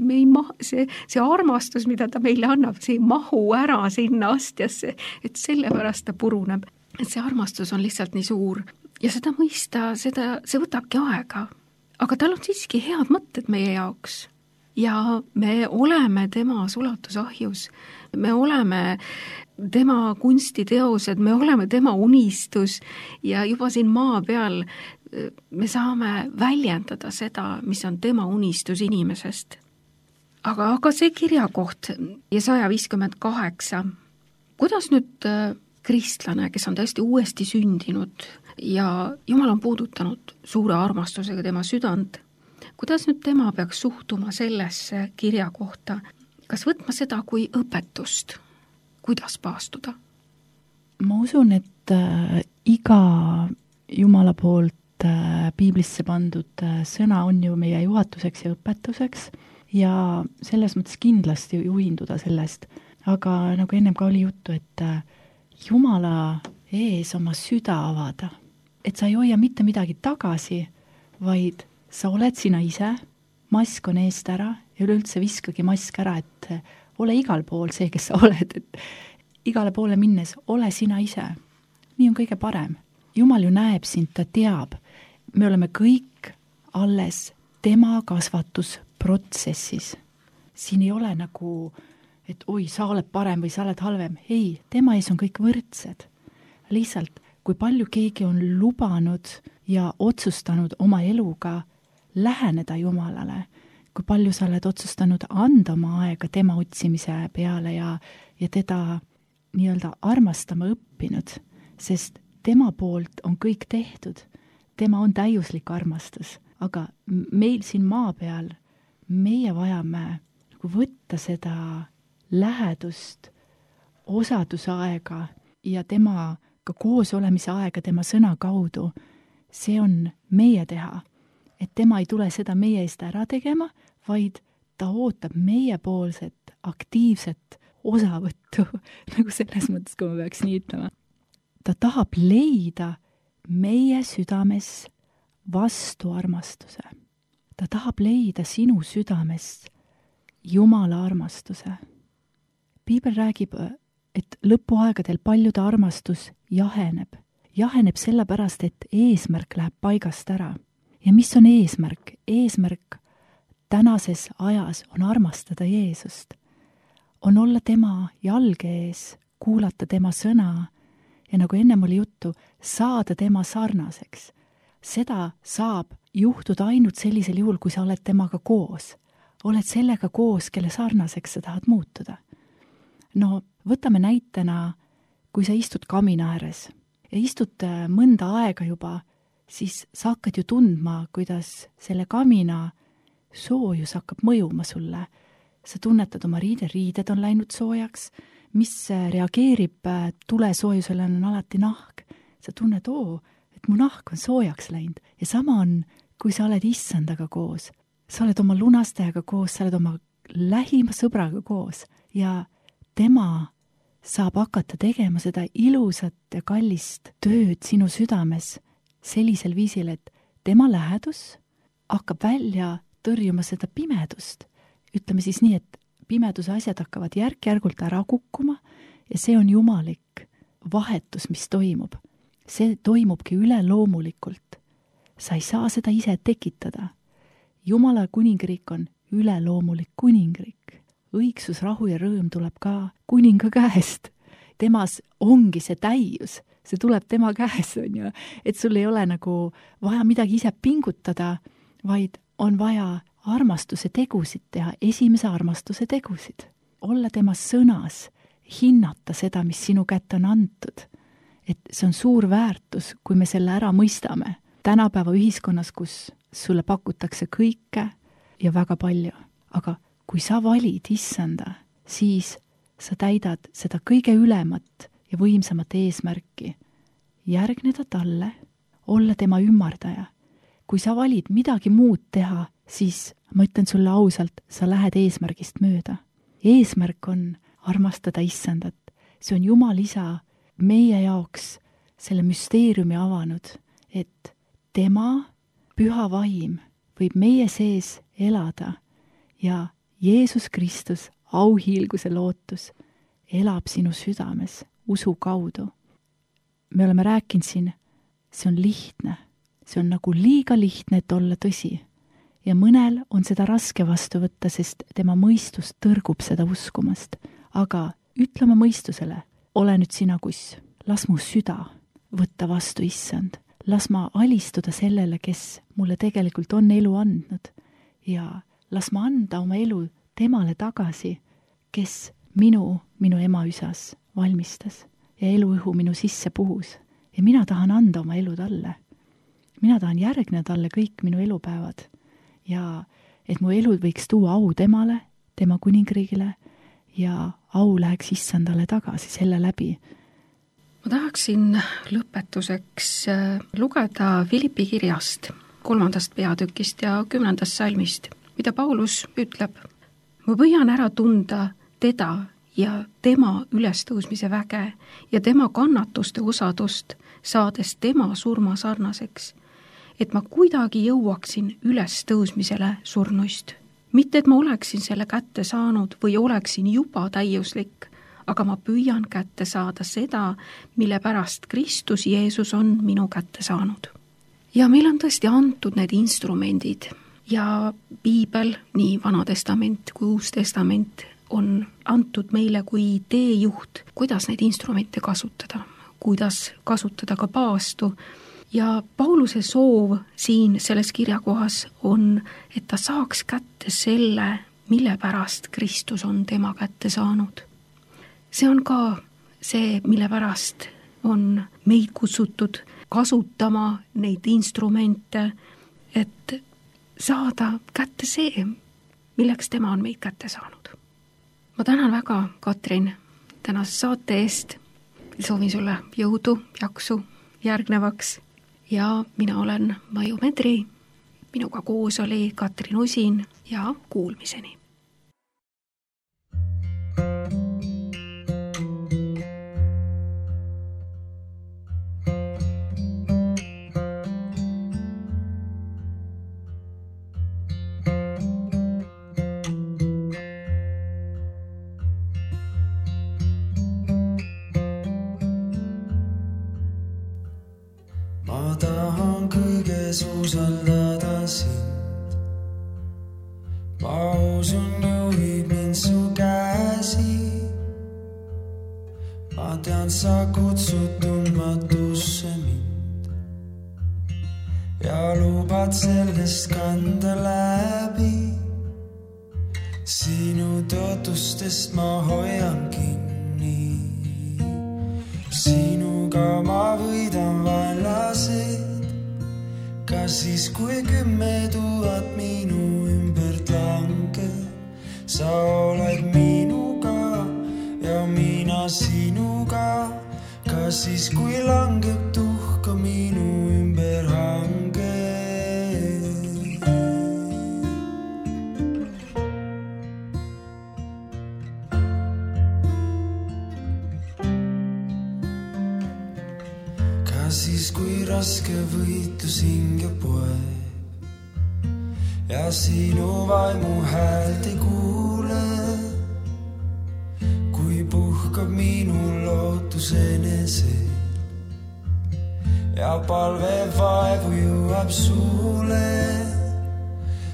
see armastus, mida ta meile annab, see ei mahu ära sinna astjasse, et sellepärast ta puruneb. Et see armastus on lihtsalt nii suur ja seda mõista, see võtabki aega. Aga tal on siiski head mõtted meie jaoks ja me oleme tema sulatusahjus, me oleme tema kunstiteosed, me oleme tema unistus ja juba siin maa peal me saame väljendada seda, mis on tema unistus inimesest. Aga see kirjakoht ja 158, kuidas nüüd kristlane, kes on tõesti uuesti sündinud ja Jumal on puudutanud suure armastusega tema südant, kuidas nüüd tema peaks suhtuma sellesse kirjakohta? Kas võtma seda kui õpetust? Kuidas paastuda? Ma usun, et iga Jumala poolt piiblisse pandud sõna on ju meie juhatuseks ja õpetuseks ja selles mõttes kindlasti juhinduda sellest. Aga nagu ennem ka oli juttu, et Jumala ees oma süda avada. Et sa ei hoia mitte midagi tagasi, vaid sa oled sina ise, mask on eest ära ja üleüldse viskagi mask ära, et ole igal pool see, kes sa oled, et igale poole minnes ole sina ise. Nii on kõige parem. Jumal ju näeb sind, ta teab. Me oleme kõik alles tema kasvatusprotsessis. Siin ei ole nagu, et oi, sa oled parem või sa oled halvem. Ei, tema ees on kõik võrdsed. Lihtsalt, kui palju keegi on lubanud ja otsustanud oma eluga läheneda Jumalale, kui palju sa oled otsustanud anda oma aega tema otsimise peale ja teda nii-öelda armastama õppinud, sest tema poolt on kõik tehtud. Tema on täiuslik armastus, aga meil siin maa peal, meie vajame nagu võtta seda lähedust, osadusaega ja temaga koos olemise aega tema sõna kaudu. See on meie teha, et tema ei tule seda meie eest ära tegema, vaid ta ootab meiepoolset aktiivset osavõttu nagu selles mõttes, kui ma peaks nii ütlema. Ta tahab leida meie südames vastuarmastuse. Ta tahab leida sinu südames Jumala armastuse. Piibel räägib, et lõpuaegadel paljude armastus jaheneb. Jaheneb sellepärast, et eesmärk läheb paigast ära. Ja mis on eesmärk? Eesmärk tänases ajas on armastada Jeesust. On olla tema jalge ees, kuulata tema sõna ja nagu ennem oli juttu, saada tema sarnaseks. Seda saab juhtuda ainult sellisel juhul, kui sa oled temaga koos. Oled sellega koos, kelle sarnaseks sa tahad muutuda. No võtame näitena, kui sa istud kamina ääres ja istud mõnda aega juba, siis sa hakkad ju tundma, kuidas selle kamina soojus hakkab mõjuma sulle. Sa tunnetad oma riided on läinud soojaks, mis reageerib tule soojusele on alati nahk. Sa tunned, et mu nahk on soojaks läinud ja sama on, kui sa oled issandaga koos. Sa oled oma lunastajaga koos, sa oled oma lähima sõbraga koos ja tema saab hakata tegema seda ilusat ja kallist tööd sinu südames sellisel viisil, et tema lähedus hakkab välja tõrjuma seda pimedust. Ütleme siis nii, et pimeduse asjad hakkavad järk-järgult ära kukkuma ja see on jumalik vahetus, mis toimub. See toimubki üleloomulikult. Sa ei saa seda ise tekitada. Jumala kuningriik on üleloomulik kuningriik. Õigsus, rahu ja rõõm tuleb ka kuninga käest. Temas ongi see täius, see tuleb tema käest, on ju. Et sul ei ole nagu vaja midagi ise pingutada, vaid on vaja armastuse tegusid teha, esimese armastuse tegusid. Olla tema sõnas, hinnata seda, mis sinu kätte on antud. Et see on suur väärtus, kui me selle ära mõistame. Tänapäeva ühiskonnas, kus sulle pakutakse kõike ja väga palju. Aga kui sa valid issanda, siis sa täidad seda kõige ülemat ja võimsamat eesmärki. Järgneda talle, olla tema ümmardaja. Kui sa valid midagi muud teha, siis ma ütlen sulle ausalt, sa lähed eesmärgist mööda. Eesmärk on armastada issandat. See on Jumal isa meie jaoks selle müsteeriumi avanud, et tema püha vaim võib meie sees elada ja Jeesus Kristus, auhiilguse lootus, elab sinu südames usu kaudu. Me oleme rääkinud siin, see on lihtne. See on nagu liiga lihtne, et olla tõsi. Ja mõnel on seda raske vastu võtta, sest tema mõistus tõrgub seda uskumast. Aga ütle oma mõistusele, ole nüüd sina kuss, las mu süda võtta vastu issand. Las ma alistuda sellele, kes mulle tegelikult on elu andnud ja las ma anda oma elu temale tagasi, kes minu ema üsas valmistas ja eluõhu minu sisse puhus. Ja mina tahan anda oma elu talle. Mina tahan järgneda talle kõik minu elupäevad ja et mu elu võiks tuua au temale, tema kuningriigile ja au läheks issandale tagasi selle läbi. Ma tahaksin lõpetuseks lugeda Philippi kirjast 3. peatükist ja 10. salmist, mida Paulus ütleb. Ma püüan ära tunda teda ja tema ülestõusmise väge ja tema kannatuste osadust, saades tema surma sarnaseks, et ma kuidagi jõuaksin ülestõusmisele surnuist. Mitte, et ma oleksin selle kätte saanud või oleksin juba täiuslik, aga ma püüan kätte saada seda, mille pärast Kristus Jeesus on minu kätte saanud. Ja meil on tõesti antud need instrumendid ja Piibel, nii Vana Testament kui Uus Testament, on antud meile kui teejuht, kuidas neid instrumente kasutada, kuidas kasutada ka paastu. Ja Pauluse soov siin selles kirjakohas on, et ta saaks kätte selle, mille pärast Kristus on tema kätte saanud. See on ka see, mille pärast on meid kutsutud kasutama neid instrumente, et saada kätte see, milleks tema on meid kätte saanud. Ma tänan väga, Katrin, tänase saate eest. Soovin sulle jõudu, jaksu järgnevaks. Ja mina olen Maju Medri, minuga koos oli Katrin Usin ja kuulmiseni. julges usaldada sind. Ma usun, juhib mind su käsi. Ma tean, sa kutsud tundmatusse mind ja lubad sellest kanda läbi. Sinu tõotustest ma hoian kinni. Sinuga ma võidan vaenlased, ka siis, kui 10 000 minu ümbert langeb. Sa oled minuga ja mina sinuga, ka siis, kui langeb tuhka minu ümber hange. Ka siis, kui raske võitlus hinge poeb ja sinu vaimu häält ei kuule, kui puhkab minu lootus enesel ja palve vaevu jõuab suule.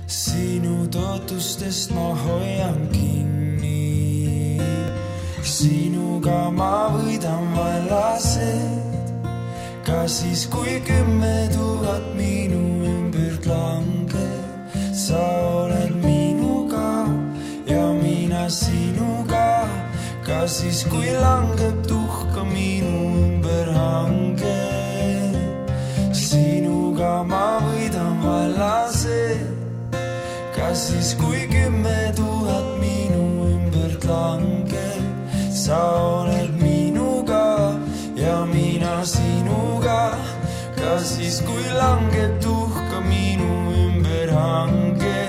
Sinu tõotustest ma hoian kinni. Sinuga ma võidan vaenlased, ka siis, kui 10 000 minu ümbert langeb. Sa oled minuga ja mina sinuga, ka siis, kui langeb tuhka minu ümber hange. Sinuga ma võidan vaenlased, ka siis, kui 10 000 minu ümbert langeb. Sa oled minuga ja mina sinuga, ka siis, kui langeb tuhka minu ümber hange.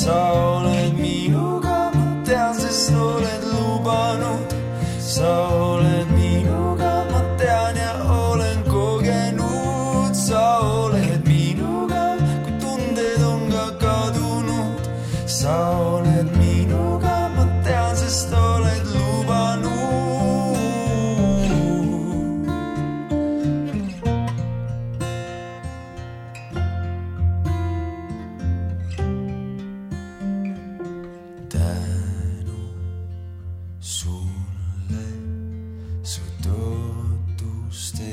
Sa oled minuga, ma tean, sest oled lubanud. Sa oled minuga, ma tean ja olen kogenud. Sa oled minuga, kui tunded on ka kadunud. Sa oled minuga, ma tean, sest oled lubanud. Sulle su tõotuste